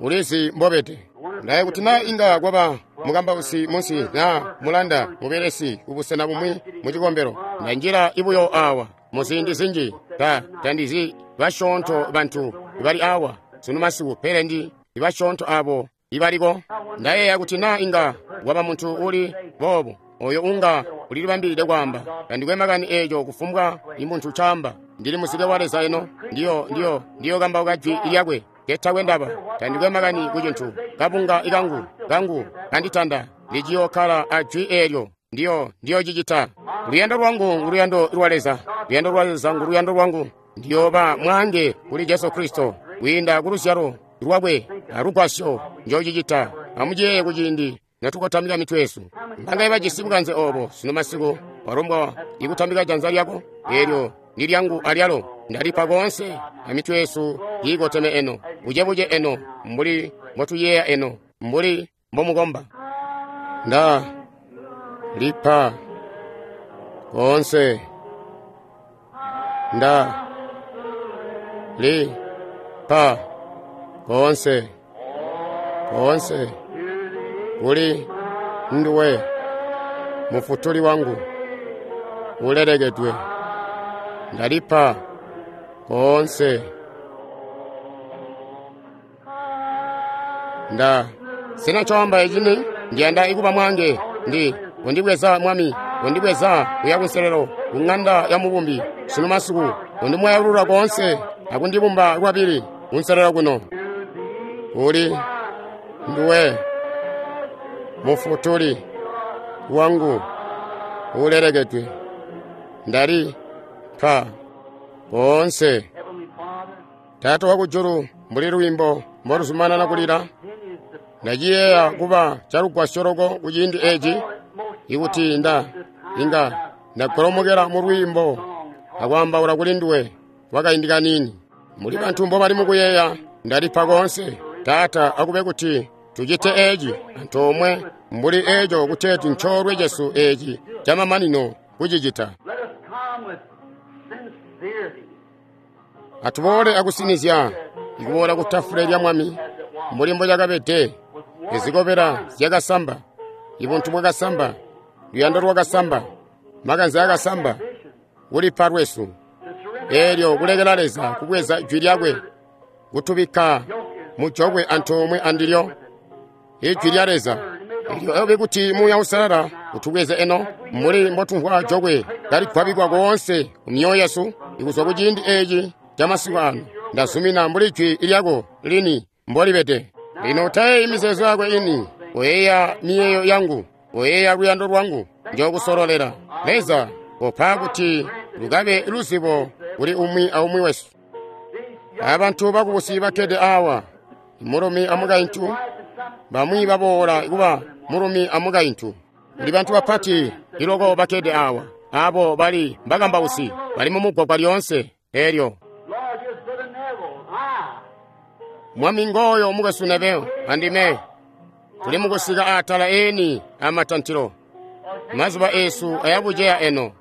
Speaker 1: ulizi mbobede. Ndaye kuti naa inga kwaba mukambausi munsi na mulanda mubelesi kubusena bumwi mu cikombelo. Ndanjila ibuyo awa mu ziindi zinji, ta tandizi basyoonto bantu bali awa sunu masiku, pele ndi basyoonto abo ibaliko. Ndayeeya kuti naa inga waba muntu uli boobo oyo unga ulilibambilide kwaamba, tandikwe makani eeco kufumbwa imuntu caamba. Ndili muzike wa Leza eno, ndiyo ndiyo ndiyo kambauka jwi lyakwe ketakwe ndaba. Tandikwe makani ku cintu kabunga ikangu kangu kanditanda, ndiciyokkala a jwi eelyo, ndiyo ndiyo cicita. Luyando lwangu nguluyando lwa Leza, luyando lwa Leza nguluyando lwangu. Ndiyooba mwaange kuli Jesu Kristo kwiinda ku luzyalo lwakwe alugwasyo njocicita. Amuciyeeye kuciindi natukotamika mitwe yesu. Mbangaye bajisi bukanze obo sunu masiku walombwa ikutambika janza lyako? Eelyo ndi lyangu alyalo, ndalipa koonse. Amitwe yesu kiikoteme eno, bucebuce eno, mbuli mbotuyeeya eno, mbuli mbomukomba. Nda lipa koonse, nda lipa koonse, koonse kuli nduwe mufutuli wangu ulelekedwe. Ndalipa koonse, nda sina coamba ecini. Ndiyanda ikuba mwange, ndi undibweza Mwami, undibweza kuya kunselelo ku ng'anda ya mubumbi sunu masiku, undimwayalula koonse akundibumba lwabili kunselelo kuno. Uli nduwe mufutuli wangu ulelekedwe. Ndali pa koonse. Taata wakujulu, mbuli lwiimbo mboluzumanana kulila, ndaciyeeya kuba calugwasyo loko kuciindi eci, ikuti nda inga ndagolomokela mu lwiimbo akwaambaula kuli nduwe kwakaindi kaniini. Muli bantu mbobali mukuyeeya, ndalipa koonse. Taata, akube kuti tucite eci antoomwe mbuli eco kuteeti ncoolwe cesu eci camamanino kucicita. Atuboole akusinizya ikuboola ku tafule lya Mwami mbuli mbocakabede. Izikobela zyakasamba, ibuntu bwakasamba, luyando lwakasamba, makanze akasamba, kulipa lwesu. Eelyo kulekela Leza kubweza jwi lyakwe kutubikka mujokwe antoomwe andilyo, ijwi lya Leza. Elyo abe kuti Muuya Uusalala utubweze eno mbuli mbotumvwa jokwe kaligwabikwa koonse ku myoyo yesu ikuzwa ku ciindi eci camasiku ano. Ndazumina mbuli jwi lyako lini mbolibede. Lino utayeeyi mizeezo yako ini, oyeeya miyeeyo yangu, oyeeya luyando lwangu njokusololela. Leza opa kuti lukabe luzibo kuli umwi aumwi wesu. Abantu bakubusi bakkede awa, mulumi amukaintu, bamwi baboola kuba mulumi amukaintu. Kuli bantu bapati iloko bakkede awa, abo bali mbakambausi, bali mumugwagwa lyoonse elyo. Mwami ngoyo mukwesu Neville andime Tuli mukusika atala eni amatantilo. Mazuba esu ayabuceya eno.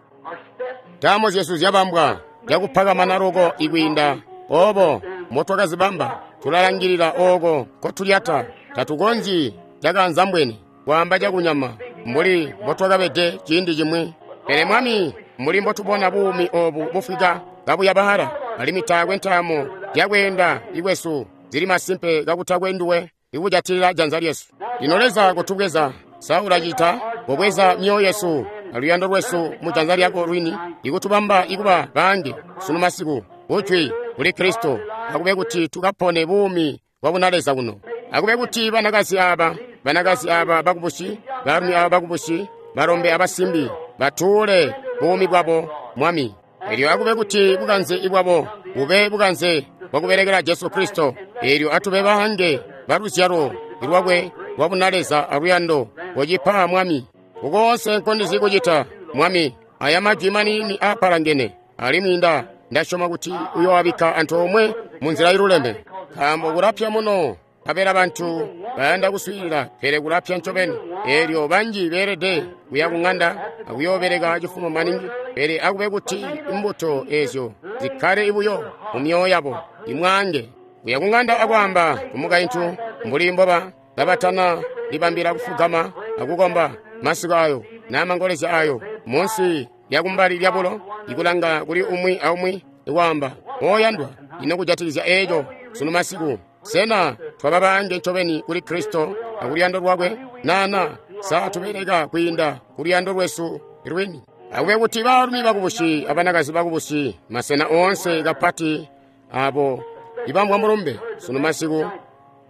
Speaker 1: Ntaamo zyesu zyabambwa zyakupakamana loko ikwiinda obo mbotwakazibamba. Tulalangilila ooko nkotulyata. Tatukonzyi cakanzambwene kwaamba cakunyama mbuli mbotwakabede ciindi cimwi. Pele Mwami, mbuli mbotubona buumi obu bufwika kabuyabala, alimwi taakwe ntaamo zyakweenda ikwesu zili masimpe kakutakwe nduwe ikujatilila janza lyesu. Lino Leza kotubweza, sa ulacita kobweza myoyo yesu aluyando lwesu mu janza lyako lwini, ikutubamba ikuba baange sunu masiku kujwi kuli Kristo. Akube kuti tukapone buumi bwa bunaleza kuno. Akube kuti banakazi aba, banakazi aba bakubusi, baalumi aba bakubusi, balombe abasimbi batuule buumi bwabo, Mwami. Elyo akube kuti bukanze bwabo bube bukanze bwakubelekela Jesu Kristo. Elyo atube baange baluzyalo lwakwe lwa bunaleza aluyando kocipa, Mwami. Kukoonse nkondizi kucita, Mwami, aya majwi maniini aapalangene, alimwi nda ndasyoma kuti uyoabikka antoomwe mu nzila iluleme. Nkaambo kulapya muno, nkabela bantu bayanda kuswiilila, pele kulapya ncobeni. Eelyo banji beelede kuya ku ŋanda akuyoobeleka cifumo maningi, pele akube kuti imbuto ezyo zikkale buyo mu myoyo yabo. Imwaange kuya ku ŋanda akwaamba kumukaintu mbuli mboba kabatana libambila kufugama akukomba masiku ayo namangolezya ayo munsi lyakumbali lyabulo, ikulanga kuli umwi aumwi ikwaamba, oyandwa, ino kujatikizya eeco sunu masiku, sena twaba baange ncobeni kuli Kristo akuluyando lwakwe? Nana sa tubeleka kwiinda kuluyando lwesu lwini? Akube kuti baalumi bakubusi abanakazi bakubusi masena oonse kapati abo ibambwa mulumbe sunu masiku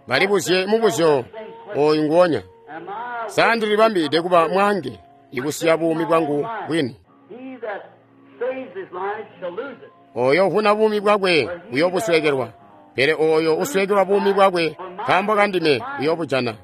Speaker 1: balibuzye mubuzyo oyu nguonya: sa ndilibambide kuba mwange ikusiya buumi bwangu bwini?
Speaker 2: He that saves his life shall lose it.
Speaker 1: Oyo uvuna buumi bwakwe uyobusweekelwa, pele oyo usweekelwa buumi bwakwe nkaambo kandime uyobujana.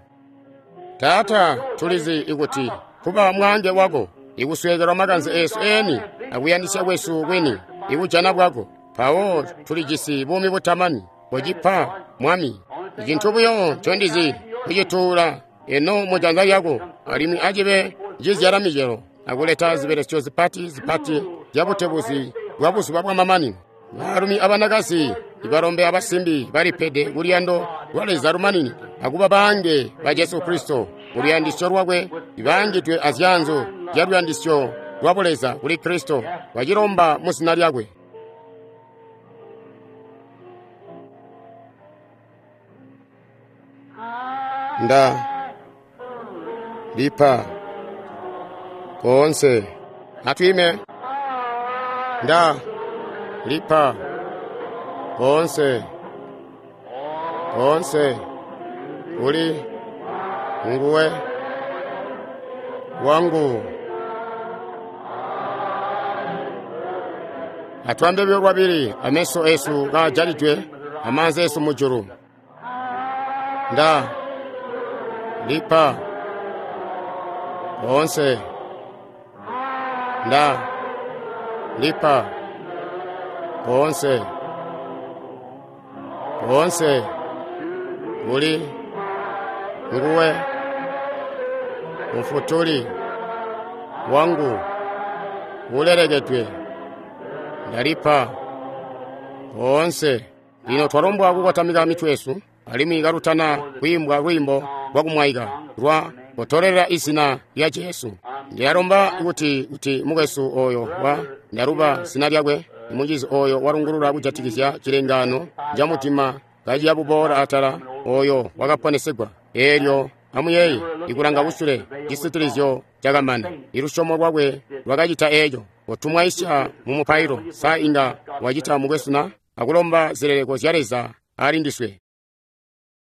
Speaker 1: Taata, tulizi ikuti kuba mwange wako ikusweekelwa makanze esu eni akuyandisya kwesu kwini ikujana bwako, mpawo tulijisi buumi butamani. Kocipa, Mwami. Icintu buyo ncondizi kucituula eno mu janza lyako, alimwi acibe cizyala micelo akuleta zibelesyo zipati zipati zyabutebuzi bwa buzuba bwamamanino. Baalumi abanakazi, ibalombe abasimbi balipede kuluyando lwa Leza lumanini akuba baange ba Jesu Kristo kuluyandisyo lwakwe, ibaangidwe azyanzo zyaluyandisyo lwa buleza kuli Kristo, bacilomba mu zina lyakwe. Nda lipa koonse. Atwime. Nda lipa koonse, koonse kuli nguwe wangu. Atwambe buyo lwabili, ameso esu kajalidwe, amaanza esu mujulu. Nda lipa koonse. Nda lipa koonse, koonse kuli nguwe mufutuli wangu ulelekedwe. Ndalipa koonse. Lino twalombwa kukotamika mitwe yesu, alimwi kalutana kwiimbwa lwiimbo lwakumwaika lwa kutolelela izina lya Jesu. Ndiyalomba kuti kuti mukwesu oyo wa ndaluba zina lyakwe, imucizi oyo walungulula kujatikizya cilengano ca mutima kaciya buboola atala, oyo wakaponesegwa. Eelyo amuyeeye, ikulanga kusule, cisitilizyo cakamana. Ilusyomo lwakwe lwakacita eeco. Kotumwaisya mu mupailo, sa inga wacita mukwesu na akulomba zileleko zya Leza ali ndiswe.